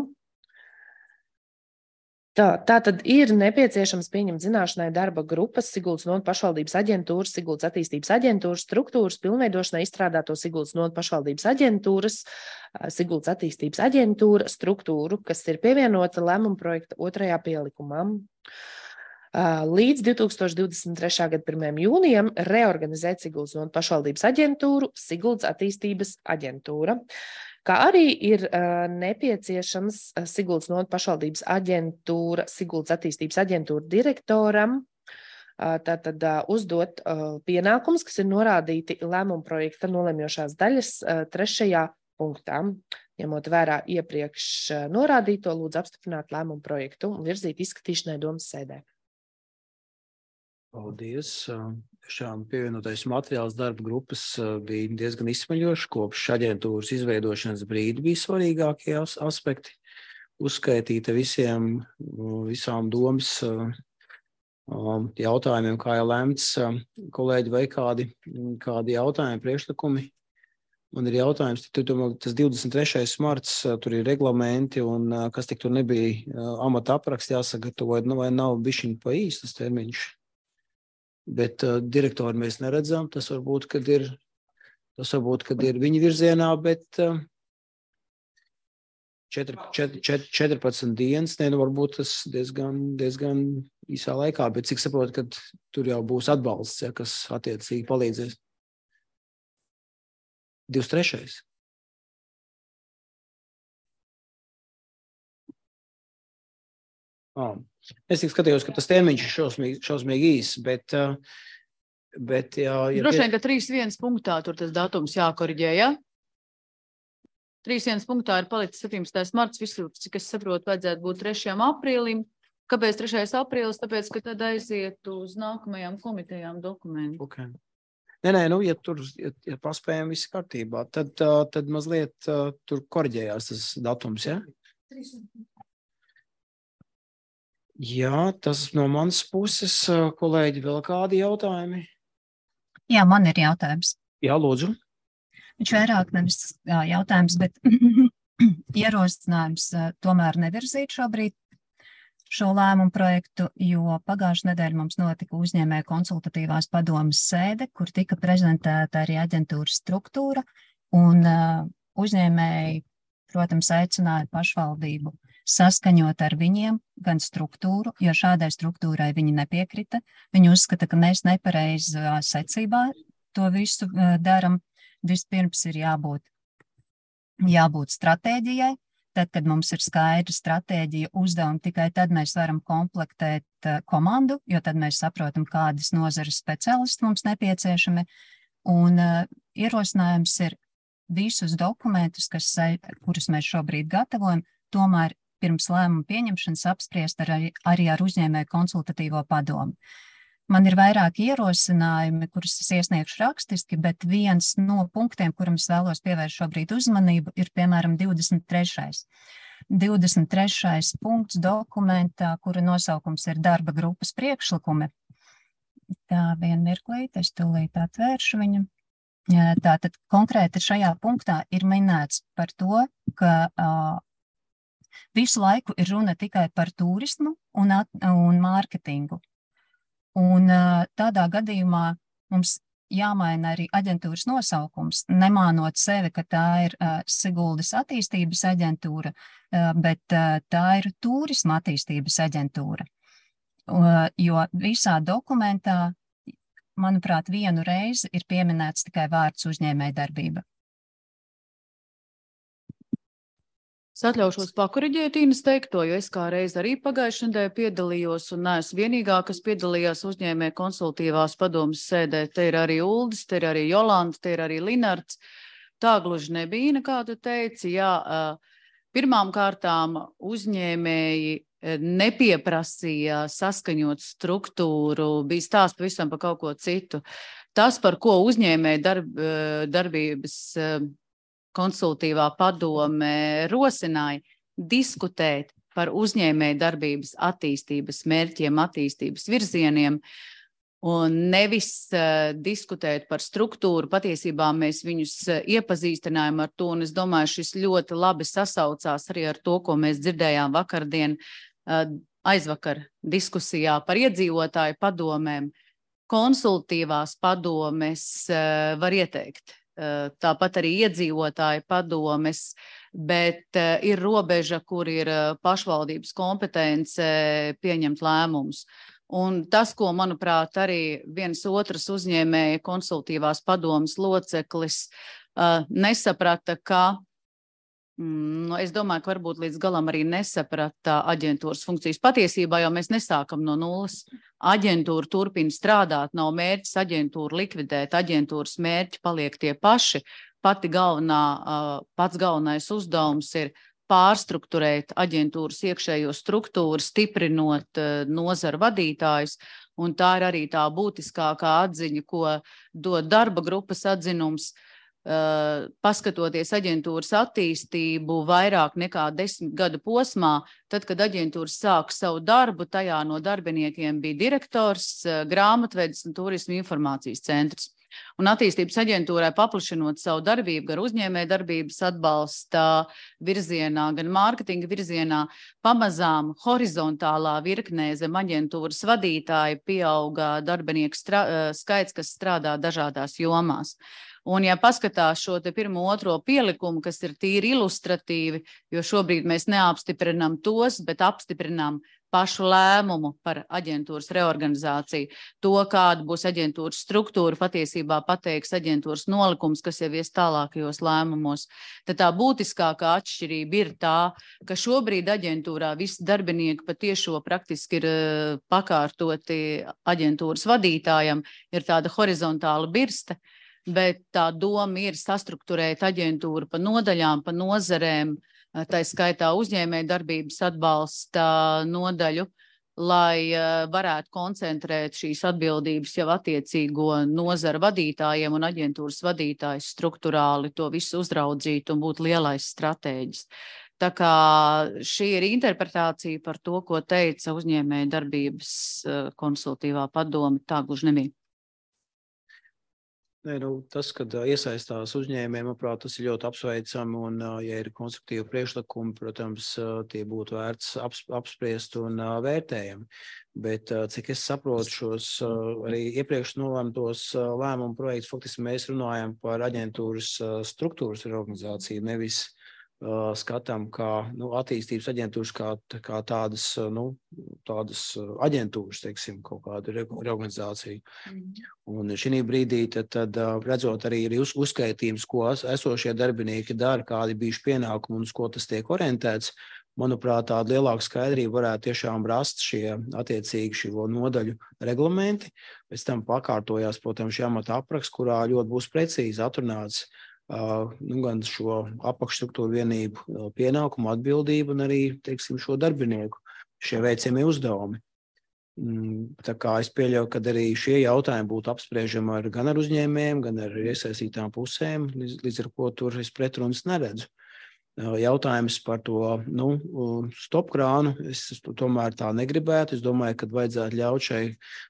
Tātad ir nepieciešams pieņemt zināšanai darba grupas Siguldas novads pašvaldības aģentūras, Siguldas attīstības aģentūras struktūras pilnveidošanai izstrādāto Siguldas novads pašvaldības aģentūras, Siguldas attīstības aģentūra struktūru, kas ir pievienota lēmuma projekta 2. pielikumā. Līdz 2023. gada 1. jūnijam reorganizēt Siguldas novads pašvaldības aģentūru, Siguldas attīstības aģentūra, kā arī ir nepieciešams Siguldas novads pašvaldības aģentūra, Siguldas attīstības aģentūra direktoram tātad uzdot pienākumus, kas ir norādīti lēmuma projekta nolemjošās daļas 3. punktā. Ņemot vērā iepriekš norādīto, lūdzu apstiprināt lēmumu projektu un virzīt izskatīšanai domas sēdē. Paldies. Šām pievienotais materiāls darba grupas bija diezgan izsmeļoši. Kopš aģentūras izveidošanas brīdi bija svarīgākie aspekti. Uzskaitīta visām domas jautājumiem, kā jau lemts. Kolēģi, vai kādi jautājumi, priekšlikumi? Man ir jautājums, tas 23. marts, tur ir reglamenti, un kas tik tur nebija amata apraksts jāsagatavo, vai nav bišķiņ pa īstas termiņš? Bet direktori mēs neredzam, tas varbūt, kad ir viņa virzienā, bet 14 dienas, varbūt tas diezgan īsā laikā, bet cik saprotu, ka tur jau būs atbalsts, kas attiecīgi palīdzēs. 23. Es tik skatījos, ka tas termiņš ir šausmīgi īs, bet droši vien, ka 3.1 punktā tur tas datums jākoriģē, ja? 3.1 punktā ir palicis 17. marts, visur, cik es saprotu, vajadzētu būt 3. aprīlim. Kāpēc 3. aprīlis? Tāpēc, ka tad aiziet uz nākamajām komitejām dokumenti. Okay. Nē, ja tur ir paspējami visi kārtībā, tad mazliet tur koriģējās tas datums, ja? Jā, tas no manas puses, kolēģi, vēl kādi jautājumi? Jā, man ir jautājums. Jā, lūdzu. Viņš vairāk nevis jautājums, bet ierosinājums tomēr nevirzīt šobrīd šo lēmumu projektu, jo pagājušajā nedēļā mums notika uzņēmēju konsultatīvās padomas sēde, kur tika prezentēta arī aģentūras struktūra, un uzņēmēji, protams, aicināja pašvaldību saskaņot ar viņiem gan struktūru, jo šādai struktūrai viņi nepiekrita. Viņi uzskata, ka mēs nepareizā secībā to visu daram. Vispirms ir jābūt stratēģijai. Tad, kad mums ir skaidra stratēģija uzdevuma, tikai tad mēs varam komplektēt komandu, jo tad mēs saprotam, kādas nozares speciālisti mums nepieciešami. Un ierosinājums ir visus dokumentus, kurus mēs šobrīd gatavojam, tomēr pirms lēmuma pieņemšanas apspriest arī ar uzņēmēju konsultatīvo padomu. Man ir vairāki ierosinājumi, kurus es iesniegšu rakstiski, bet viens no punktiem, kuram es vēlos pievērst šobrīd uzmanību, ir piemēram 23. 23. punkts dokumentā, kura nosaukums ir darba grupas priekšlikumi. Tā, vienu mirklīt, es tūlīt atvēršu viņu. Tātad konkrēti šajā punktā ir minēts par to, ka Visu laiku ir runa tikai par turismu un mārketingu. Un tādā gadījumā mums jāmaina arī aģentūras nosaukums, nemānot sevi, ka tā ir Siguldas attīstības aģentūra, bet tā ir turisma attīstības aģentūra. Jo visā dokumentā, manuprāt, vienu reizi ir pieminēts tikai vārds uzņēmējdarbība. Es atļaušos pakoriģēt Inas teikto, jo es kā reiz arī pagājušajā nedēļā piedalījos un neesmu vienīgā, kas piedalījās uzņēmēju konsultīvās padomas sēdē. Te ir arī Uldis, te ir arī Jolanta, te ir arī Linards. Tā gluži nebija, kā tu teici. Jā, pirmām kārtām uzņēmēji nepieprasīja saskaņot struktūru, bija stāsts pavisam par kaut ko citu. Tas, par ko uzņēmēju darbības konsultīvā padome rosināja, diskutēt par uzņēmēju darbības attīstības mērķiem, attīstības virzieniem, un nevis diskutēt par struktūru. Patiesībā mēs viņus iepazīstinājām ar to, un es domāju, šis ļoti labi sasaucās arī ar to, ko mēs dzirdējām vakardien, aizvakar diskusijā par iedzīvotāju padomēm. Konsultīvās padomes var ieteikt. Tāpat arī iedzīvotāju padomes, bet ir robeža, kur ir pašvaldības kompetence pieņemt lēmumus. Un tas, ko, manuprāt, arī viens otrs uzņēmēja konsultīvās padomes loceklis nesaprata, ka, es domāju, ka varbūt līdz galam arī nesaprata aģentūras funkcijas. Patiesībā jau mēs nesākam no nulles. Aģentūra turpina strādāt, nav mērķis aģentūru likvidēt, aģentūras mērķi paliek tie paši. Pats galvenais uzdevums ir pārstrukturēt aģentūras iekšējo struktūru, stiprinot nozaru vadītājus, un tā ir arī tā būtiskākā atziņa, ko dod darba grupas atzinums. Paskatoties aģentūras attīstību vairāk nekā 10 gadu posmā, tad, kad aģentūra sāk savu darbu, tajā no darbiniekiem bija direktors, grāmatvedis un turisma informācijas centrs. Un attīstības aģentūrai paplašinot savu darbību gar uzņēmēju darbības atbalsta virzienā, gan mārketinga virzienā, pamazām horizontālā virknē zem aģentūras vadītāja pieauga darbinieku skaits, kas strādā dažādās jomās. Un, ja paskatās šo te pirmo otro pielikumu, kas ir tīri ilustratīvi, jo šobrīd mēs neapstiprinām tos, bet apstiprinām pašu lēmumu par aģentūras reorganizāciju. To, kāda būs aģentūras struktūra, patiesībā pateiks aģentūras nolikums, kas jau ies tālākajos lēmumos. Tad tā būtiskākā atšķirība ir tā, ka šobrīd aģentūrā visi darbinieki patiešo praktiski ir pakārtoti aģentūras vadītājam, ir tāda horizontāla birste. Bet tā doma ir sastrukturēt aģentūru pa nodaļām, pa nozarēm, tā skaitā uzņēmēju darbības atbalsta nodaļu, lai varētu koncentrēt šīs atbildības jau attiecīgo nozaru vadītājiem un aģentūras vadītājs strukturāli to visu uzraudzīt un būt lielais stratēģis. Tā kā šī ir interpretācija par to, ko teica uzņēmēju darbības konsultīvā padome, tā gluži nebija. Tas, kad iesaistās uzņēmējiem, manuprāt, tas ir ļoti apsveicami, un, ja ir konstruktīvi priekšlikumi, protams, tie būtu vērts apspriest un vērtējami. Bet, cik es saprotu šos arī iepriekš nolēmtos lēmumu projektus, faktiski mēs runājam par aģentūras struktūras reorganizāciju, nevis skatām kā attīstības aģentūras, kā tādas, tādas aģentūras, teiksim, kaut kādu reorganizāciju. Un šī brīdī tad redzot arī uzskaitījums, ko esošie darbinieki dara, kādi bijuši pienākumi un uz ko tas tiek orientēts, manuprāt, tāda lielāka skaidrība varētu tiešām rast šie attiecīgi šo nodaļu reglamenti. Pēc tam pakārtojās, protams, šī amata apraksts, kurā ļoti būs precīzi atrunāts gan šo apakšstruktūru vienību pienākumu, atbildību un arī, teiksim, šo darbinieku, šie veicamie uzdevumi. Tā kā es pieļauju, ka arī šie jautājumi būtu apspriežami gan ar uzņēmējiem, gan ar iesaistītām pusēm, līdz ar ko tur es pretrunas neredzu. Jautājums par to stopkrānu, es tomēr tā negribētu. Es domāju, ka vajadzētu ļaut šai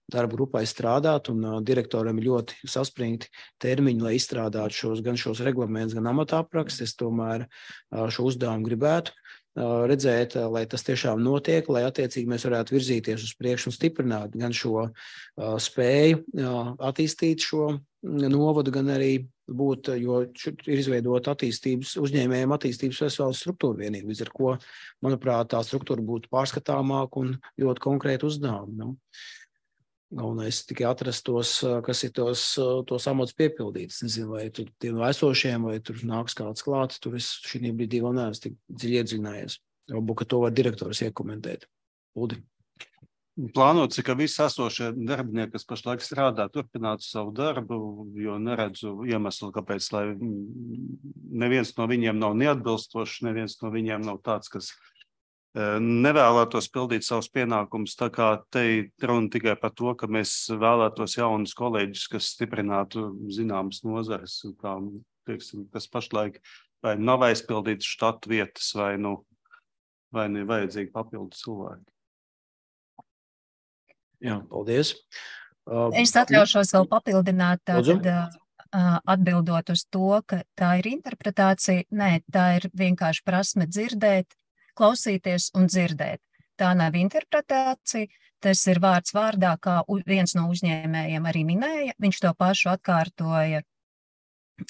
darba grupai strādāt, un direktoram ir ļoti saspringti termiņi, lai izstrādātu gan šos reglamentus, gan amata aprakstus. Es tomēr šo uzdevumu gribētu redzēt, lai tas tiešām notiek, lai attiecīgi mēs varētu virzīties uz priekšu un stiprināt gan šo spēju attīstīt šo novadu, gan arī būt, jo ir izveidota uzņēmējiem attīstības veselas struktūra vienība, līdz ar ko, manuprāt, tā struktūra būtu pārskatāmāka un ļoti konkrēti uzdevumi. Nu. Galvenais tikai atrast tos, kas ir tos amats piepildīts. Nezinu, vai tur tiem esošiem, vai tur nāks kāds klāt, tur es šī brīdī vēl neesmu tik dziļi iedziļinājies. Varbūt, ka to var direktors iekomentēt. Uldi. Plānots, ka visi esošie darbinieki, kas pašlaik strādā, turpinātu savu darbu, jo neredzu iemeslu, kāpēc, lai neviens no viņiem nav neatbilstošs, neviens no viņiem nav tāds, kas nevēlētos pildīt savus pienākumus, tā kā te runa tikai par to, ka mēs vēlētos jaunus kolēģus, kas stiprinātu zināmas nozares, kā, teiksim, kas pašlaik vai nav aizpildītas štatu vietas, vai ne vajadzīgi papildu cilvēki. Jā, paldies. Es atļaušos vēl papildināt, tātad atbildot uz to, ka tā ir interpretācija. Nē, tā ir vienkārši prasme dzirdēt, klausīties un dzirdēt. Tā nav interpretācija, tas ir vārds vārdā, kā viens no uzņēmējiem arī minēja. Viņš to pašu atkārtoja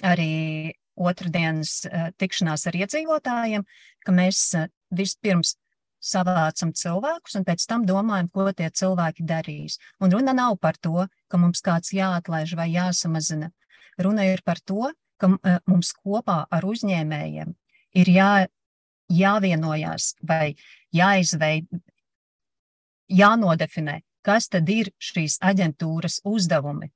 arī otrdienas tikšanās ar iedzīvotājiem, ka mēs vispirms savācam cilvēkus un pēc tam domājam, ko tie cilvēki darīs. Un runa nav par to, ka mums kāds jāatlaiž vai jāsamazina. Runa ir par to, ka mums kopā ar uzņēmējiem ir jāvienojās vai jānodefinē, kas tad ir šīs aģentūras uzdevumi.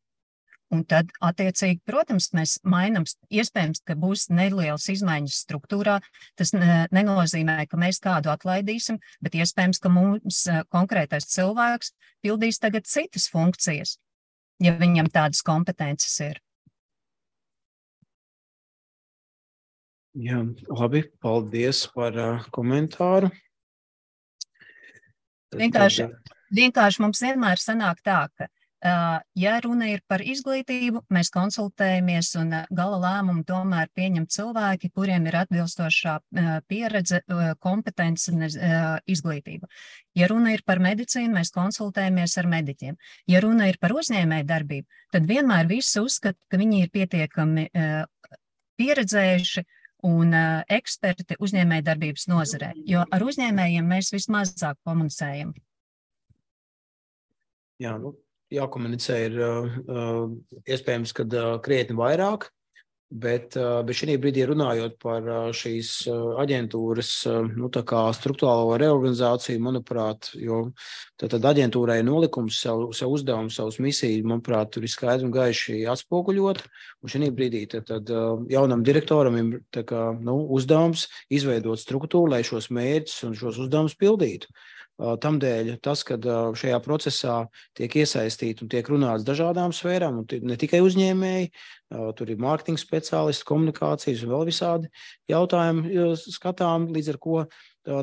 Un tad, attiecīgi, protams, mēs mainām, iespējams, ka būs nelielas izmaiņas struktūrā. Tas nenozīmē, ka mēs kādu atlaidīsim, bet iespējams, ka mums konkrētais cilvēks pildīs tagad citas funkcijas, ja viņam tādas kompetences ir. Jā, labi, paldies par komentāru. Vienkārši mums vienmēr sanāk tā, ka ja runa ir par izglītību, mēs konsultējamies un gala lēmumu tomēr pieņem cilvēki, kuriem ir atbilstošā pieredze, kompetence un izglītība. Ja runa ir par medicīnu, mēs konsultējamies ar mediķiem. Ja runa ir par uzņēmēju darbību, tad vienmēr visi uzskata, ka viņi ir pietiekami pieredzējuši un eksperti uzņēmēju darbības nozarē, jo ar uzņēmējiem mēs vismazāk komunicējam. Jā, jākomunicē ir iespējams, kad krietni vairāk, bet šī brīdī runājot par šīs aģentūras tā kā struktūrālo reorganizāciju, manuprāt, jo tad aģentūrai nolikums, savu uzdevumu, savus misiju, manuprāt, tur ir skaidri un gaiši atspoguļot, un šī brīdī tad jaunam direktoram ir tā kā, uzdevums izveidot struktūru, lai šos mērķus un šos uzdevumus pildītu. Tamdēļ tas, kad šajā procesā tiek iesaistīti un tiek runāts dažādām sfērām, un ne tikai uzņēmēji, tur ir mārketinga speciālisti, komunikācijas un vēl visādi jautājumi skatām, līdz ar ko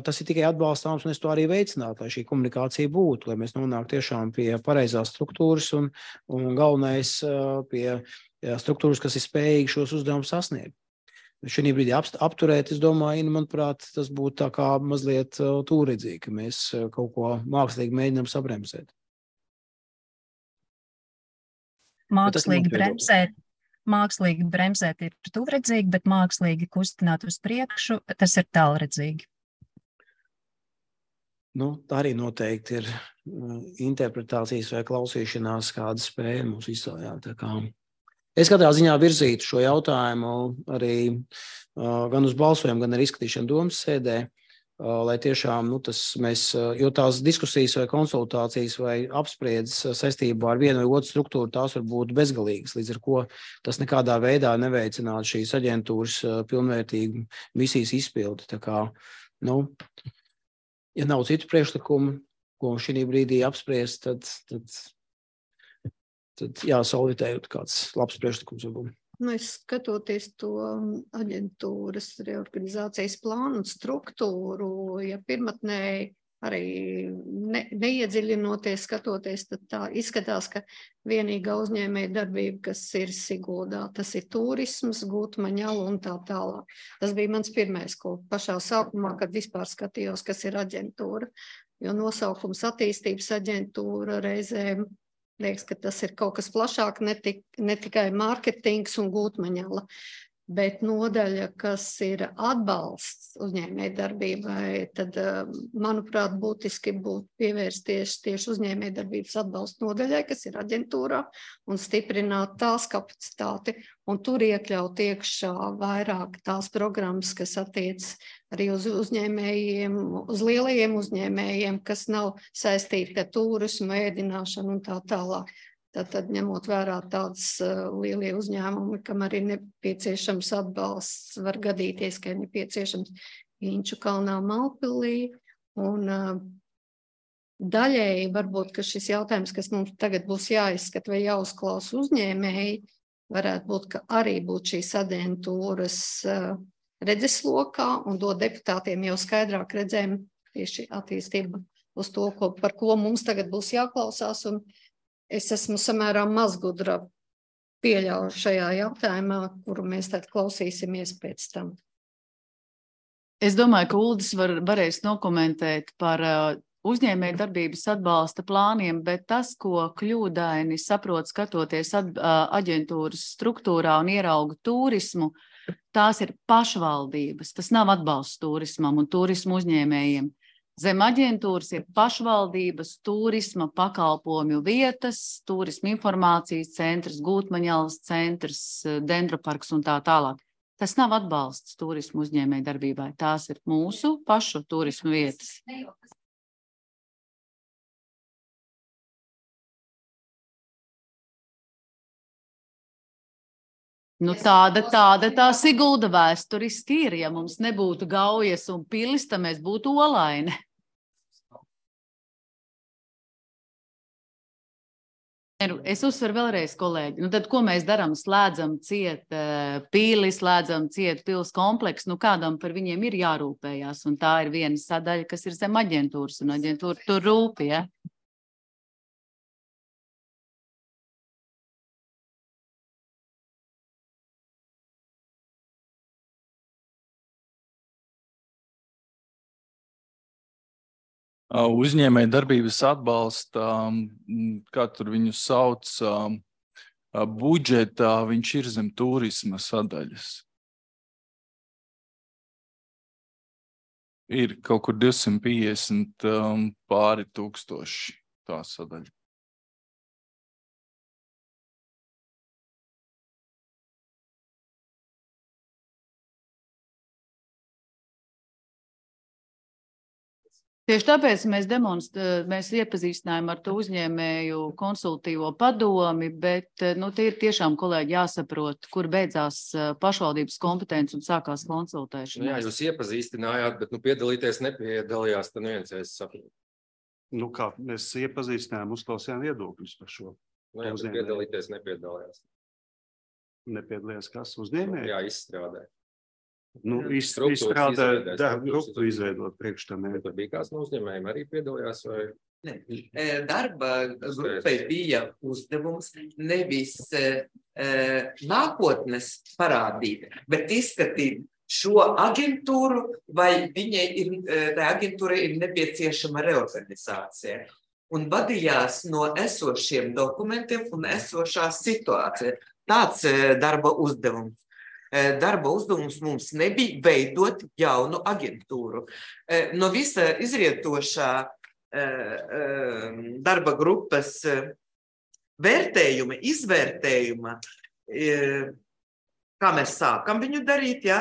tas ir tikai atbalstāms, un es to arī veicinātu, lai šī komunikācija būtu, lai mēs nonāktu tiešām pie pareizās struktūras un galvenais pie struktūras, kas ir spējīgi šos uzdevumus sasniegt. Šī brīdī apturēt, es domāju, manuprāt, tas būtu tā kā mazliet tūredzīgi, ka mēs kaut ko mākslīgi mēģinām sabremzēt. Mākslīgi bremzēt ir tūredzīgi, bet mākslīgi kustināt uz priekšu, tas ir tālredzīgi. Tā arī noteikti ir interpretācijas vai klausīšanās kāda spēja mums visā, jā, tā kā. Es katrā ziņā virzītu šo jautājumu arī gan uz balsojumu, gan arī izskatīšanu domas sēdē, lai tiešām jo tās diskusijas vai konsultācijas vai apspriedzes saistībā ar vienu vai otru struktūru, tās var būt bezgalīgas, līdz ar ko tas nekādā veidā neveicinātu šīs aģentūras pilnvērtīgu misijas izpildi. Tā kā, ja nav citu priekšlikumu, ko šī brīdī apspriest, tad jāsolvitējot kāds labs priekšlikums varbūt. Skatoties to aģentūras reorganizācijas plānu un struktūru, ja pirmatnēji arī neiedziļinoties, skatoties, tad tā izskatās, ka vienīgā uzņēmēja darbība, kas ir Siguldā, tas ir turisms, Gūtmaņala un tā tālāk. Tas bija mans pirmais, ko pašā sākumā, kad vispār skatījos, kas ir aģentūra, jo nosaukums attīstības aģentūra reizēm liekas, ka tas ir kaut kas plašāk, ne tikai mārketings un Gūtmaņala. Bet nodaļa, kas ir atbalsts uzņēmējdarbībai, tad, manuprāt, būtiski būtu pievērsties tieši uzņēmējdarbības atbalsta nodaļai, kas ir aģentūrā, un stiprināt tās kapacitāti, un tur iekļaut iekšā vairāk tās programmas, kas attiec arī uz uzņēmējiem, uz lielajiem uzņēmējiem, kas nav saistīti ar turismu, ēdināšanu un tā tālāk. Tad ņemot vērā tādas lielie uzņēmumi, kam arī nepieciešams atbalsts, var gadīties, ka ir nepieciešams Inču kalnā Malpilī. Un daļēji varbūt, ka šis jautājums, kas mums tagad būs jāizskat vai jāuzklausa uzņēmēji, varētu būt, ka arī būt šīs aģentūras redzeslokā un dot deputātiem jau skaidrāk redzējumu tieši attīstību uz to, par ko mums tagad būs jāklausās. Un es esmu samērā mazgudra pieļauju šajā jautājumā, kuru mēs tad klausīsimies pēc tam. Es domāju, ka Uldis varēs nokomentēt par uzņēmēju darbības atbalsta plāniem, bet tas, ko kļūdaini saprot skatoties aģentūras struktūrā un ierauga turismu, tās ir pašvaldības. Tas nav atbalsts turismam un turismu uzņēmējiem. Zem aģentūras ir pašvaldības, turisma pakalpojumju vietas, turisma informācijas centrs, Gūtmaņalas centrs, Dendroparks un tā tālāk. Tas nav atbalsts turismu uzņēmēju darbībai. Tās ir mūsu pašu turismu vietas. Nu, tāda tā Sigulda vēsturiski ir. Ja mums nebūtu Gaujas un pilis, tad mēs būtu Olaini. Es uzsveru vēlreiz, kolēģi. Nu, tad, ko mēs darām? Slēdzam ciet pīli, slēdzam ciet pils kompleksu. Nu, kādam par viņiem ir jārūpējās. Un tā ir viena sadaļa, kas ir zem aģentūras. Un aģentūra tur rūp, ja? Uzņēmēju darbības atbalsta, kā tur viņu sauc, budžetā viņš ir zem turisma sadaļas. Ir kaut kur 250 pāri tūkstoši tā sadaļa. Tieši tāpēc mēs iepazīstinājām ar to uzņēmēju konsultīvo padomi, bet tie ir tiešām, kolēģi, jāsaprot, kur beidzās pašvaldības kompetence un sākās konsultēšana. Jā, jūs iepazīstinājāt, bet piedalīties nepiedalījās, tad neviens es saprotu. Nu kā, mēs iepazīstinājām, uzklausījām viedokļus par šo. Nu jā, bet piedalīties nepiedalījās. Nepiedalījās kas? Uzņēmēji? Jā, izstrādē. Nu, izstrādē darba grupu izveidot priekš tam. Tur bija kāds no uzņēmējiem arī piedalījās vai? Ne. Darba grupai bija uzdevums nevis nākotnes parādīt, bet izskatīt šo aģentūru, vai tai aģentūrai ir nepieciešama reorganizācija. Un vadījās no esošiem dokumentiem un esošā situācija. Tāds darba uzdevums. Darba uzdevums mums nebija veidot jaunu aģentūru. No visa izrietošā darba grupas izvērtējuma, kā mēs sākam viņu darīt, ja?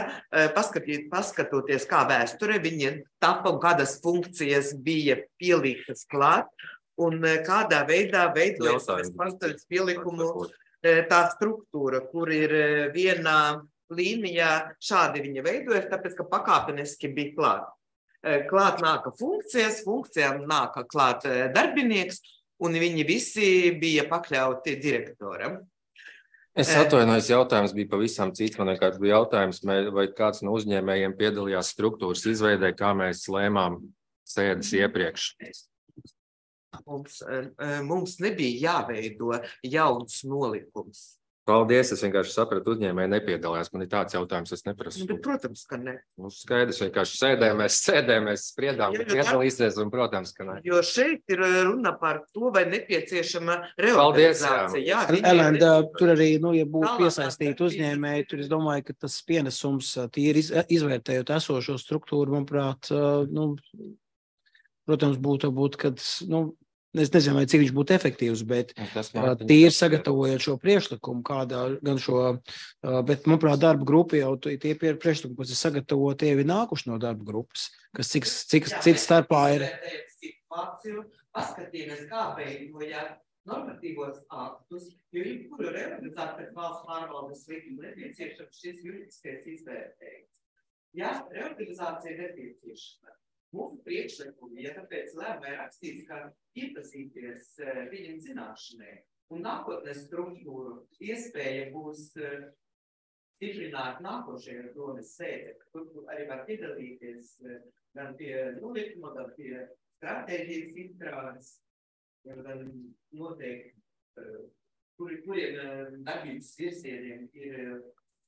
Paskatoties, kā vēsture viņa tapa un kādas funkcijas bija pielīgtas klāt un kādā veidā veidojas pastāvības pielikumu tā struktūra, kur ir vienā līnijā šādi viņa veidojas, tāpēc, ka pakāpeniski bija klāt. Klāt nāka funkcijām nāka klāt darbinieks, un viņi visi bija pakļauti direktoram. Es atvainojos, jautājums bija pavisam cits. Man vienkārši bija jautājums, vai kāds no uzņēmējiem piedalījās struktūras izveidē, kā mēs lēmām sēdes iepriekš. Mums nebija jāveido jauns nolikums. Paldies, es vienkārši sapratu, uzņēmēji nepiedalās. Man ir tāds jautājums, es neprasu. Bet, protams, ka ne. Skaidrs, vienkārši sēdēmmēs spriedām, ka piedalīsies, un protams, ka ne. Jo šeit ir runa par to, vai nepieciešama reorganizācija. Elenda, tur arī, ja būtu piesaistīti uzņēmēji, tur es domāju, ka tas pienesums tīri izvērtējot esošo struktūru, manuprāt, protams, būtu, kad, es nezinu, vai cik viņš būtu efektīvs, bet tīri sagatavojot šo priekšlikumu, gan šo, bet, manuprāt, darba grupa jau tie priekšlikumi, kas ir sagatavoti, tie ir nākuši no darba grupas, kas cik starpā ir. Paskatījāmies, kā veidojāt normatīvos aktus, jo jebkuru reorganizāciju pēc valsts pārvaldes likuma nepieciešams šis juridiskais izvērtējums. Ja reorganizācija nepieciešama, mūsu priekšlikumi, ja tāpēc lēmē rakstīts, ka iepazīties viņam zināšanai un nākotnes struktūru iespēja būs stiprināt nākošajā domas sēdē, kur arī var piedalīties gan pie nolikuma, gan pie stratēģijas izstrādes, gan noteikti, kuriem darbības virzieniem ir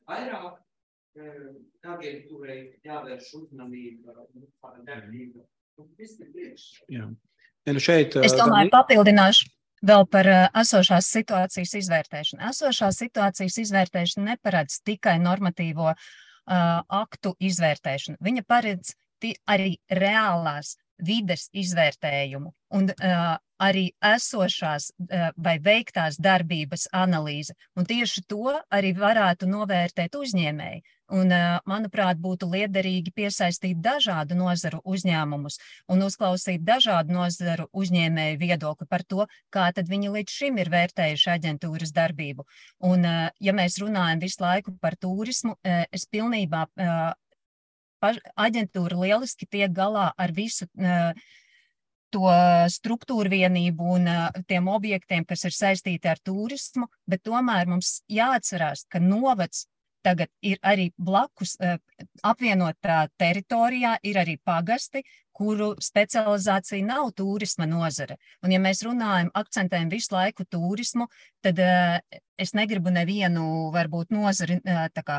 vairāk, aģentūrai jāvērš uzmanība, darbība. Viss ir priekš. Jā. Šeit, es domāju, papildināšu vēl par esošās situācijas izvērtēšanu. Esošās situācijas izvērtēšana neparedz tikai normatīvo aktu izvērtēšanu. Viņa paredz arī reālās vides izvērtējumu un arī esošās vai veiktās darbības analīze. Un tieši to arī varētu novērtēt uzņēmēji. Un, manuprāt, būtu liederīgi piesaistīt dažādu nozaru uzņēmumus un uzklausīt dažādu nozaru uzņēmēju viedokli par to, kā tad viņi līdz šim ir vērtējuši aģentūras darbību. Un, ja mēs runājam visu laiku par turismu, es pilnībā aģentūra lieliski tiek galā ar visu to struktūru vienību un tiem objektiem, kas ir saistīti ar turismu, bet tomēr mums jāatcerās, ka novads tagad ir arī blakus apvienotā teritorijā, ir arī pagasti, kuru specializācija nav turisma nozare. Un ja mēs runājam, akcentējam visu laiku turismu, tad es negribu nevienu, varbūt nozari, tā kā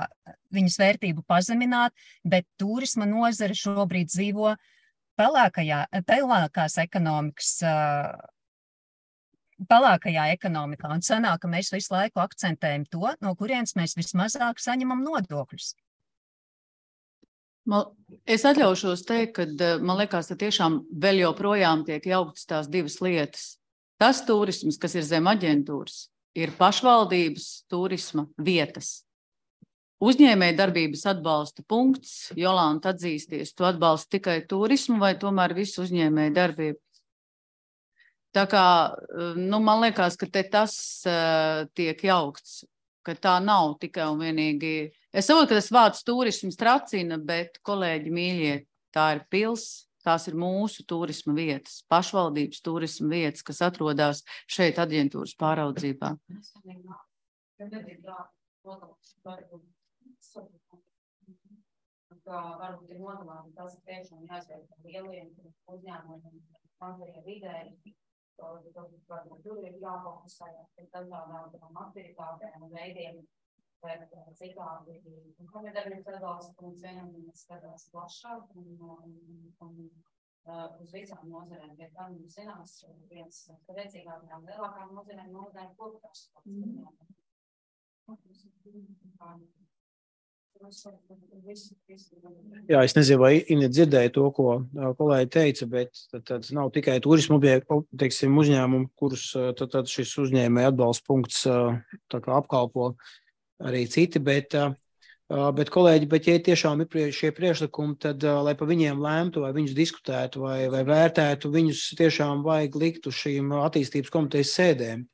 viņas vērtību pazemināt, bet turisma nozare šobrīd dzīvo pelēkās ekonomikas pelēkajā ekonomikā, un sanāk, ka mēs visu laiku akcentējam to, no kurienes mēs vismazāk saņemam nodokļus. Es atļaušos teikt, ka man liekas, ka tiešām vēl joprojām tiek jauktas tās divas lietas. Tas turisms, kas ir zem aģentūras, ir pašvaldības turisma vietas. Uzņēmēja darbības atbalsta punkts, Jolanta atzīsties, tu atbalsti tikai turismu vai tomēr visu uzņēmēja darbību? Tā kā, man liekas, ka te tas tiek jaukts, ka tā nav tikai un vienīgi. Es saprotu, ka tas vārds turisms tracina, bet, kolēģi mīļie, tā ir pils, tās ir mūsu turisma vietas, pašvaldības turisma vietas, kas atrodas šeit aģentūras pāraudzībā. Varbūt ir nodomāti, tas ir tiešām jāizvērtē lieliem uzņēmumiem, mazajiem vidēji. Tur ir jāfokusējās pie dažādām aktivitātēm un veidiem, bet citādi. Un komitēdarbības atbalsta punkts vienam skatās plašāk un uz visām nozarēm. Pie kā mums zinās, viens spēcīgākajām lielākām nozarēm nozarēm koptās. Jā, es nezinu, vai Ine dzirdēja to, ko kolēģi teica, bet tad nav tikai turismu uzņēmumu, kurus tad šis uzņēmēja atbalsta punkts tā kā apkalpo arī citi, bet kolēģi, ja tiešām ir šie priekšlikumi, tad, lai pa viņiem lēmtu, vai viņus diskutētu, vai vērtētu, viņus tiešām vajag likt uz šīm attīstības komitejas sēdēm.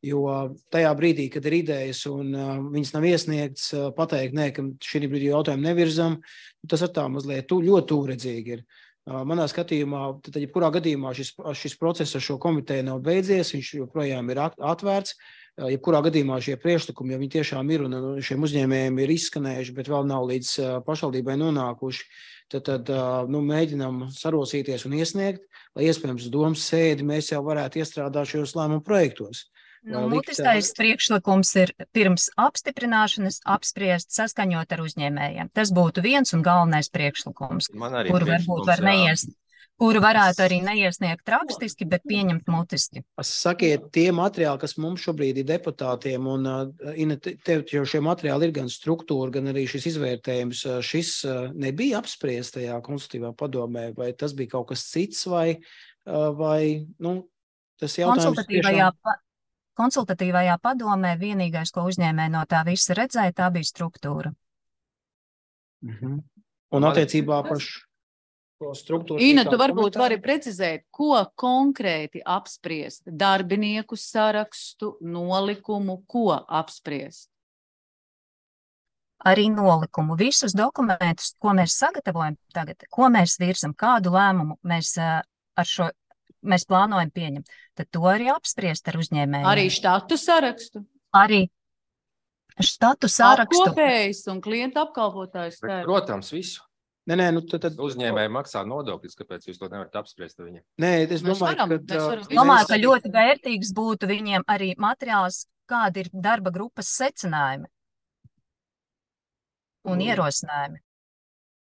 Jo tajā brīdī, kad ir idejas un viņas nav iesniegts, pateikt, nē, ka šī brīdī jautājumu nevirzam, tas ar tā mazliet ļoti tūredzīgi ir. Manā skatījumā, tad jebkurā gadījumā šis process ar šo komiteju nav beidzies, viņš joprojām ir atvērts. Jebkurā gadījumā šie priekšlikumi, ja viņi tiešām ir un šiem uzņēmējiem ir izskanējuši, bet vēl nav līdz pašvaldībai nonākuši, tad mēģinām sarosīties un iesniegt, lai iespējams domas sēdi mēs jau varētu iestrādāt šajos lēmumu projektos. Mutiskais priekšlikums ir pirms apstiprināšanas apspriest saskaņot ar uzņēmējiem. Tas būtu viens un galvenais priekšlikums, kuru varbūt var neiesniegt, kuru varētu arī neiesniegt rakstiski, bet pieņemt mutiski. Sakiet, tie materiāli, kas mums šobrīd ir deputātiem, un tev jau šie materiāli ir gan struktūra, gan arī šis izvērtējums, šis nebija apspriest tajā konsultatīvā padomē, vai tas bija kaut kas cits, vai tas jautājums tiešām... Konsultatīvajā padomē vienīgais, ko uzņēmēji no tā visa redzēja, tā bija struktūra. Un attiecībā par šo struktūru... Ina, tu varbūt vari precizēt, ko konkrēti apspriest? Darbinieku sarakstu, nolikumu, ko apspriest? Arī nolikumu. Visus dokumentus, ko mēs sagatavojam tagad, ko mēs virzam, kādu lēmumu mēs plānojam pieņemt, tad to arī apspriest ar uzņēmējiem. Arī štatu sarakstu? Arī štatu sarakstu. Apkopējs un klienta apkalpotājs. Protams, visu. Nē, Uzņēmēji maksā nodokļus, kāpēc jūs to nevarat apspriest ar viņiem? Nē, es domāju, ka ļoti vērtīgs būtu viņiem arī materiāls, kādi ir darba grupas secinājumi un ierosinājumi.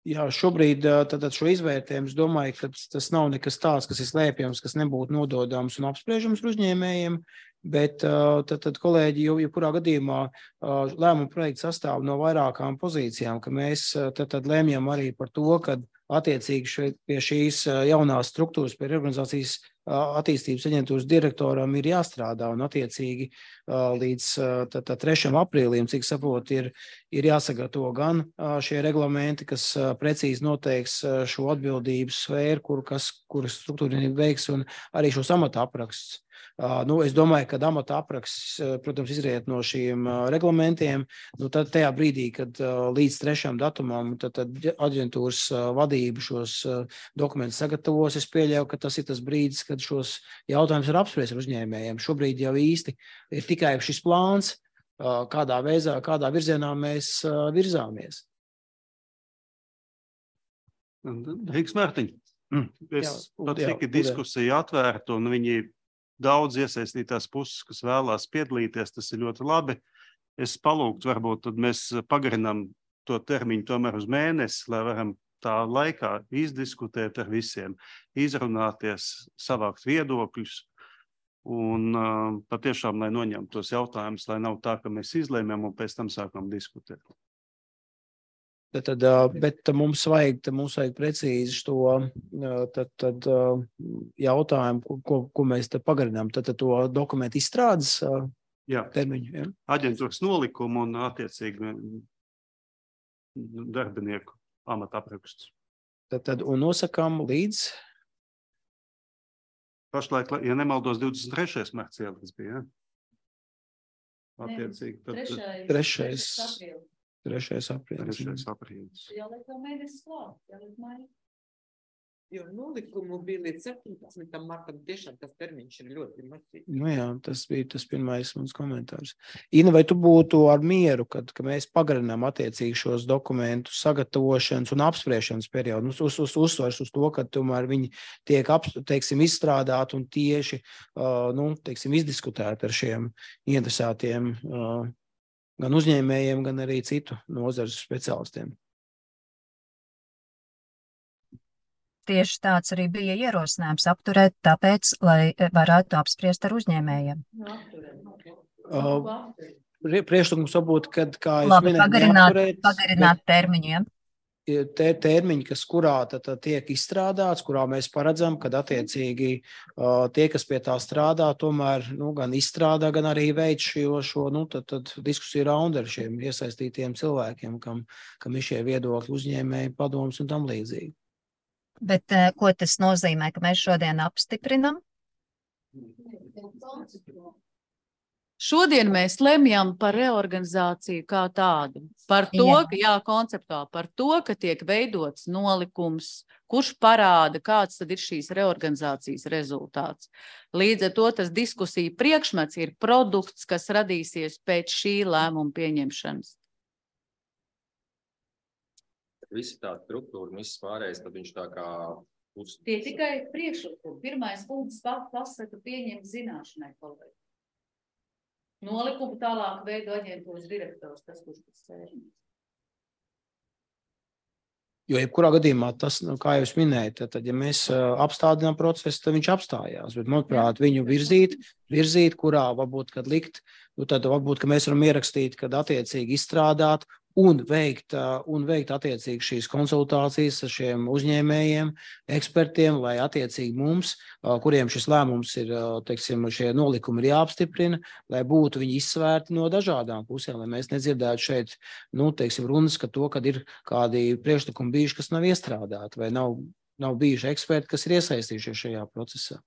Jā, šobrīd tad šo izvērtējumu es domāju, ka tas nav nekas tāds, kas ir slēpjams, kas nebūtu nododams un apspriežams uzņēmējiem, bet tad kolēģi jebkurā gadījumā lēmuma projekts sastāv no vairākām pozīcijām, ka mēs tad lēmjam arī par to, ka attiecīgi pie šīs jaunās struktūras, pie reorganizācijas attīstības aģentūras direktoram ir jāstrādā un attiecīgi līdz 3. aprīlim, cik saprot, ir jāsagatavo gan šie reglamenti, kas precīzi noteiks šo atbildības sfēru, kuras struktūra veiks, un arī šos amata apraksts. Es domāju, ka amata apraksts, protams, izriet no šiem reglamentiem. Tad tajā brīdī, kad līdz 3. datumam tad aģentūras vadība šos dokumentus sagatavos, es pieļauju, ka tas ir tas brīdis, kad šos jautājumus ir apspriest ar uzņēmējiem. Šobrīd jau īsti ir tikai šis plāns, kādā virzienā mēs virzāmies. Rīgas Mārtiņ, cik ir diskusija atvērta un viņi daudz iesaistītās puses, kas vēlās piedalīties, tas ir ļoti labi. Es palūgtu, varbūt tad mēs pagarinām to termiņu tomēr uz mēnesi, lai varam tā laikā izdiskutēt ar visiem, izrunāties, savākt viedokļus un patiešām, lai noņemtu tos jautājumus, lai nav tā, ka mēs izlēmjam un pēc tam sākam diskutēt. Bet mums vajag precīzi šo jautājumu, ko mēs te pagarinām. Tad to dokumentu izstrādes termiņu. Ja? Aģentūras nolikumu un attiecīgi darbinieku amata aprakstus. Un nosakām līdz? Pašlaik, ja nemaldos, 23. marts ieliks bija, ja? Attiecīgi. 3. aprīlis. Jāliek vēl mēnesis klāt, jāliek maija. Jo nolikumu bija līdz 17. martam, tiešām tas termiņš ir ļoti mazs. Jā, tas bija tas pirmais mans komentārs. Ina, vai tu būtu ar mieru, ka mēs pagarinām attiecīgi šos dokumentu sagatavošanas un apspriešanas periodu? Uzsvars uz to, ka tomēr viņi tiek, izstrādāti un tieši, izdiskutēti ar šiem interesētiem gan uzņēmējiem, gan arī citu nozares speciālistiem. Tieši tāds arī bija ierosinājums apturēt, tāpēc, lai varētu apspriest ar uzņēmējiem. Priekšlikums varbūt, kad, kā es minēju, pagarināt termiņiem. Termiņi, kurā tiek izstrādāts, kurā mēs paredzam, kad attiecīgi tie, kas pie tā strādā, tomēr gan izstrādā, gan arī veic šo diskusiju raundu ar šiem iesaistītiem cilvēkiem, kam ir šie viedokļi, uzņēmēji, padomus un tam līdzīgi. Bet ko tas nozīmē, ka mēs šodien apstiprinam? Šodien mēs lemjam par reorganizāciju kā tādu. Par to, konceptuāli, par to, ka tiek veidots nolikums, kurš parāda, kāds tad ir šīs reorganizācijas rezultāts. Līdz ar to tas diskusija priekšmets ir produkts, kas radīsies pēc šī lēmuma pieņemšanas. Visi tāda struktūra, viss pārējais, tad viņš tā kā... Tie tikai priekšlikumi. Pirmais punkts pasaka pieņemt zināšanai kolēģi. Nolikumu tālāk veido aģentūras direktors, tas, kurš tas sēžams. Jo jebkurā gadījumā tas, kā jau es minēju, tad, ja mēs apstādinām procesu, tad viņš apstājās. Bet, manuprāt, viņu virzīt, kurā varbūt, kad likt, tad varbūt, ka mēs varam ierakstīt, kad attiecīgi izstrādāt un veikt attiecīgi šīs konsultācijas ar šiem uzņēmējiem, ekspertiem, lai attiecīgi mums, kuriem šis lēmums ir, teiksim, šie nolikumi ir jāapstiprina, lai būtu viņi izsvērti no dažādām pusēm, lai mēs nedzirdētu šeit, teiksim, runas, ka to, kad ir kādi priekšlikumi bijuši, kas nav iestrādāti, vai nav bijuši eksperti, kas ir iesaistījušies šajā procesā.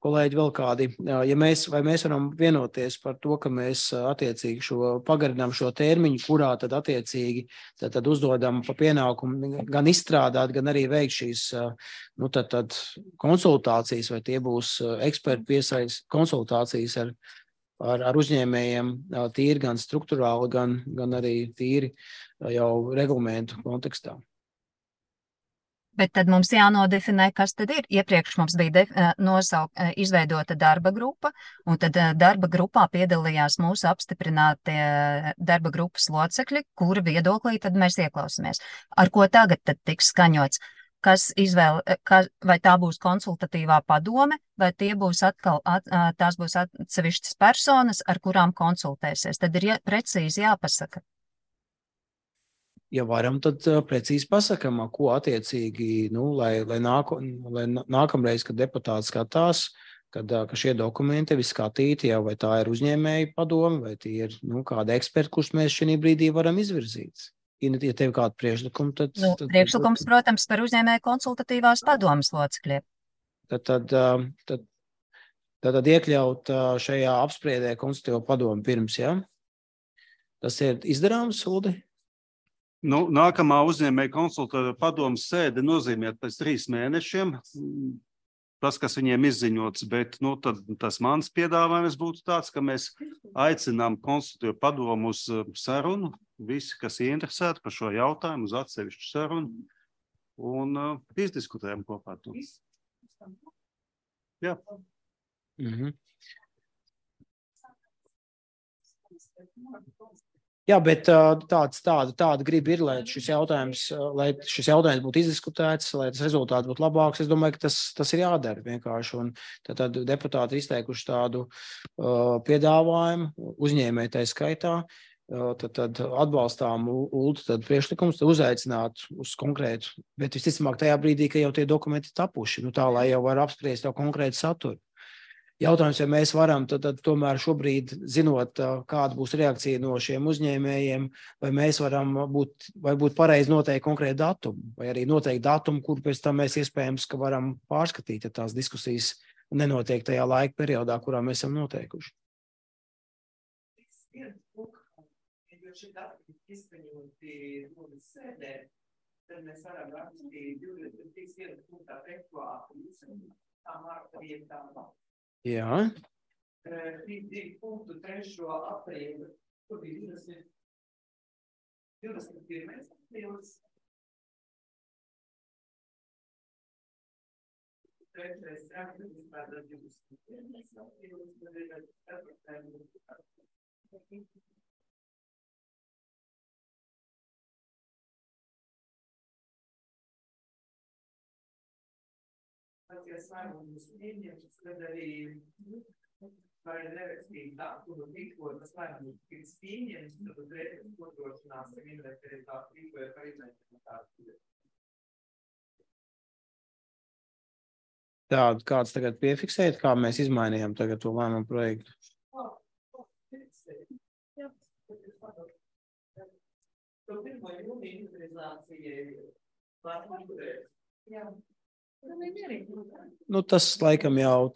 Kolēģi, vēl kādi, vai mēs varam vienoties par to, ka mēs attiecīgi pagarinām šo termiņu, kurā tad attiecīgi tad uzdodam pa pienākumu gan izstrādāt, gan arī veikt šīs tad konsultācijas, vai tie būs eksperti piesaist konsultācijas ar uzņēmējiem tīri gan strukturāli, gan arī tīri jau reglamentu kontekstā. Bet tad mums jānodefinē, kas tad ir. Iepriekš mums bija izveidota darba grupa, un tad darba grupā piedalījās mūsu apstiprinātie darba grupas locekļi, kura viedoklī tad mēs ieklausāmies. Ar ko tagad tad tiks skaņots? Vai tā būs konsultatīvā padome, vai tās būs atsevišķas personas, ar kurām konsultēsies? Tad ir precīzi jāpasaka. Ja varam, tad precīzi pasakam, ko attiecīgi, lai nākamreiz, kad deputāti skatās, ka šie dokumenti ir skatīti jau, vai tā ir uzņēmēja padome, vai tie ir kādi eksperti, kurus mēs šī brīdī varam izvirzīt. Ja tev kādu priekšlikumu, tad... Priekšlikums, protams, par uzņēmēju konsultatīvās padomes locekļiem. Tad iekļaut šajā apspriedē konsultatīvo padomu pirms, ja? Tas ir izdarāms, Uldi? Nākamā uzņēmēja konsultatīva padomes sēde nozīmē pēc 3 mēnešiem. Tas, kas viņiem izziņots, bet tad tas mans piedāvājums būtu tāds, ka mēs aicinām konsultatīvu padomu uz sarunu, visi, kas ieinteresēti par šo jautājumu, uz atsevišķu sarunu, un izdiskutējam kopā to. Jā. Jā, bet tāda griba ir, lai šis jautājums būtu izdiskutēts, lai tas rezultāts būtu labāks. Es domāju, ka tas ir jādara vienkārši. Un tad deputāti ir izteikuši tādu piedāvājumu uzņēmēju tai skaitā. Tad atbalstām Uldu priekšlikums, tad uzaicināt uz konkrētu, bet visticamāk tajā brīdī, ka jau tie dokumenti tapuši, tā, lai jau var apspriest jau konkrētu saturu. Jautājums, ja mēs varam, tad tomēr šobrīd, zinot, kāda būs reakcija no šiem uzņēmējiem, vai mēs varam būt pareizi noteikt konkrētu datumu, vai arī noteikt datumu, kur pēc tam mēs iespējams, ka varam pārskatīt, ja tās diskusijas nenotiek tajā laika periodā, kurā mēs esam noteikuši. Jo šī dati izskaņoti sēdē, tad mēs varam rakstīt 21 punktā tekstuāli, tā marta vietām. Jā. 2 punktu 3. aprīli, kur bija 21. aprīlis. 3. aprīlis, tātad 21. aprīlis, tad ir 4. Ja sarunas pieņemts, tad arī vai nerakstīt datumu, tikko tas lēmums tiks pieņemts, tad uzreiz nodrošināsim investētātu rīkoja par izmēģinātātu. Tādu kāds tagad piefiksēt, kā mēs izmainījām tagad to lēmumu projektu? To 1. jūnija inventarizācija var noturēt. Jā. Nu, tas laikam jau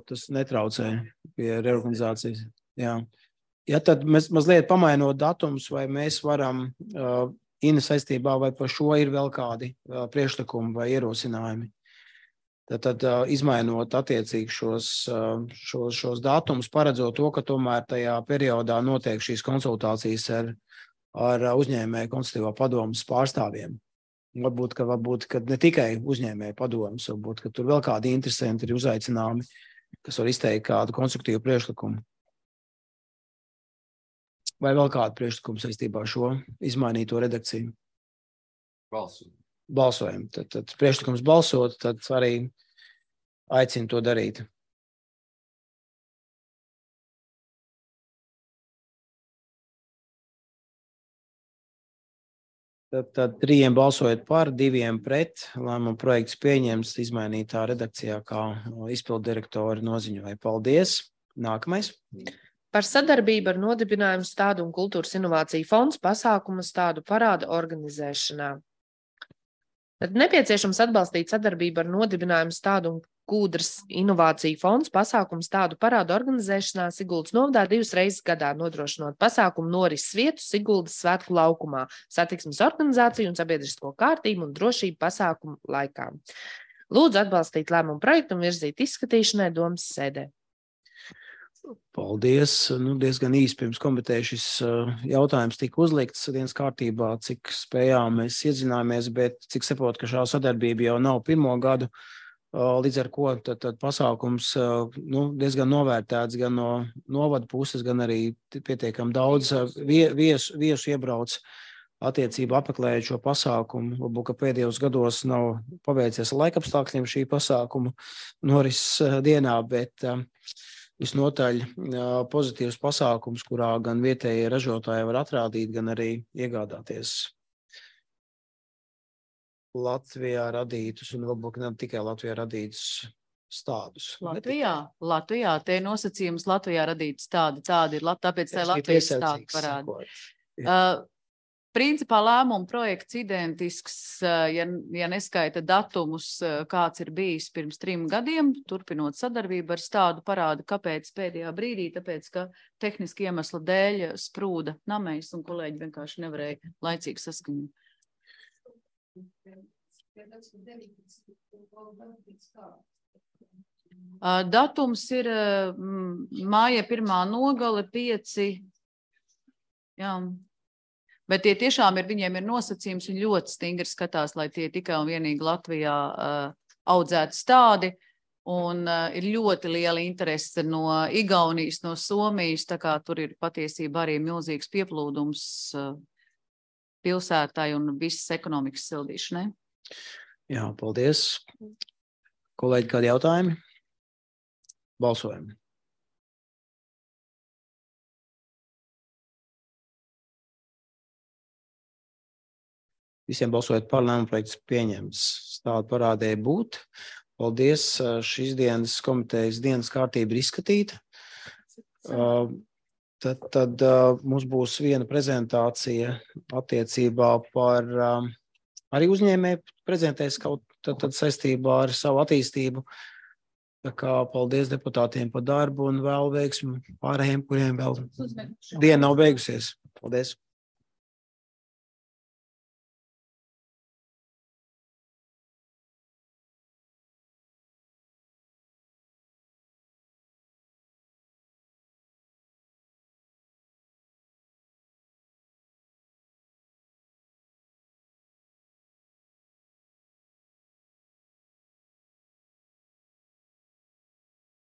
tas netraucē pie reorganizācijas. Jā. Ja tad mēs mazliet pamainot datumus, vai mēs varam Ina saistībā, vai par šo ir vēl kādi priekšlikumi vai ierosinājumi. Tad izmainot attiecīgi šos datumus, paredzot to, ka tomēr tajā periodā notiek šīs konsultācijas ar uzņēmēju konsultīvā padomas pārstāvjiem. Varbūt, ka ne tikai uzņēmēju padomas, varbūt, ka tur vēl kādi interesanti ir uzaicināmi, kas var izteikt kādu konstruktīvu priekšlikumu. Vai vēl kādu priekšlikumu saistībā ar šo izmainīto redakciju? Balsojam. Tad priekšlikums balsot, tad arī aicinu to darīt. Tad 3 balsojot par, 2 pret, lēmuma projekts pieņems izmainītā redakcijā, kā izpildu direktori noziņoja. Paldies! Nākamais. Par sadarbību ar nodibinājumu stādu un kultūras inovāciju fonds pasākumu stādu parāda organizēšanā. Tad nepieciešams atbalstīt sadarbību ar nodibinājumu stādu un kultūras inovāciju fonds pasākumu stādu parāda organizēšanā Siguldas novadā 2 reizes gadā, nodrošinot pasākumu norises vietu Siguldas svētku laukumā, satiksmes organizāciju un sabiedrisko kārtību un drošību pasākumu laikā. Lūdzu atbalstīt lēmumu projektu un virzīt izskatīšanai domas sēdē. Paldies. Diezgan īsi pirms komiteja šis jautājums tika uzlikts dienas kārtībā, cik spējām mēs iedzināmies, bet cik saprotu, ka šā sadarbība jau nav 1. gadu, līdz ar ko tad pasākums diezgan novērtēts gan no novada puses, gan arī pietiekam daudz viesu iebrauc attiecību apmeklējot šo pasākumu. Varbūt, ka pēdējos gados nav paveicies ar laikapstākļiem šī pasākumu norises dienā, bet visnotaļ pozitīvs pasākums, kurā gan vietējie ražotāji var atrādīt, gan arī iegādāties Latvijā radītus un varbūt ne tikai Latvijā radītus stādus. Latvijā, te nosacījums Latvijā radīts tādi ir, tāpēc tā Latvijas stādi parāda. Principā lēmuma projekts identisks, ja neskaita datumus, kāds ir bijis pirms 3 gadiem, turpinot sadarbību ar stādu parāda, kāpēc pēdējā brīdī, tāpēc, ka tehniski iemesla dēļ sprūda namējs un kolēģi vienkārši nevarēja laicīgi saskaņot. Datums ir māja 1. nogale 5. Jā. Bet tie tiešām viņiem ir nosacījums un ļoti stingri skatās, lai tie tikai un vienīgi Latvijā audzētu stādi. Un ir ļoti liela interese no Igaunijas, no Somijas, tā kā tur ir patiesībā arī milzīgs pieplūdums pilsētai un visas ekonomikas sildīšanai. Jā, paldies. Kolēģi, kādi jautājumi? Balsojam. Visiem balsojot par, lēmuma projekts pieņemts. Stādu parādēja būt. Paldies. Šīs dienas komitejas dienas kārtība ir izskatīta. Tad mums būs viena prezentācija attiecībā par arī uzņēmēju prezentēs kaut tad saistībā ar savu attīstību. Tā kā paldies deputātiem par darbu un vēl veiksmu pārējiem, kuriem vēl diena nav beigusies. Paldies.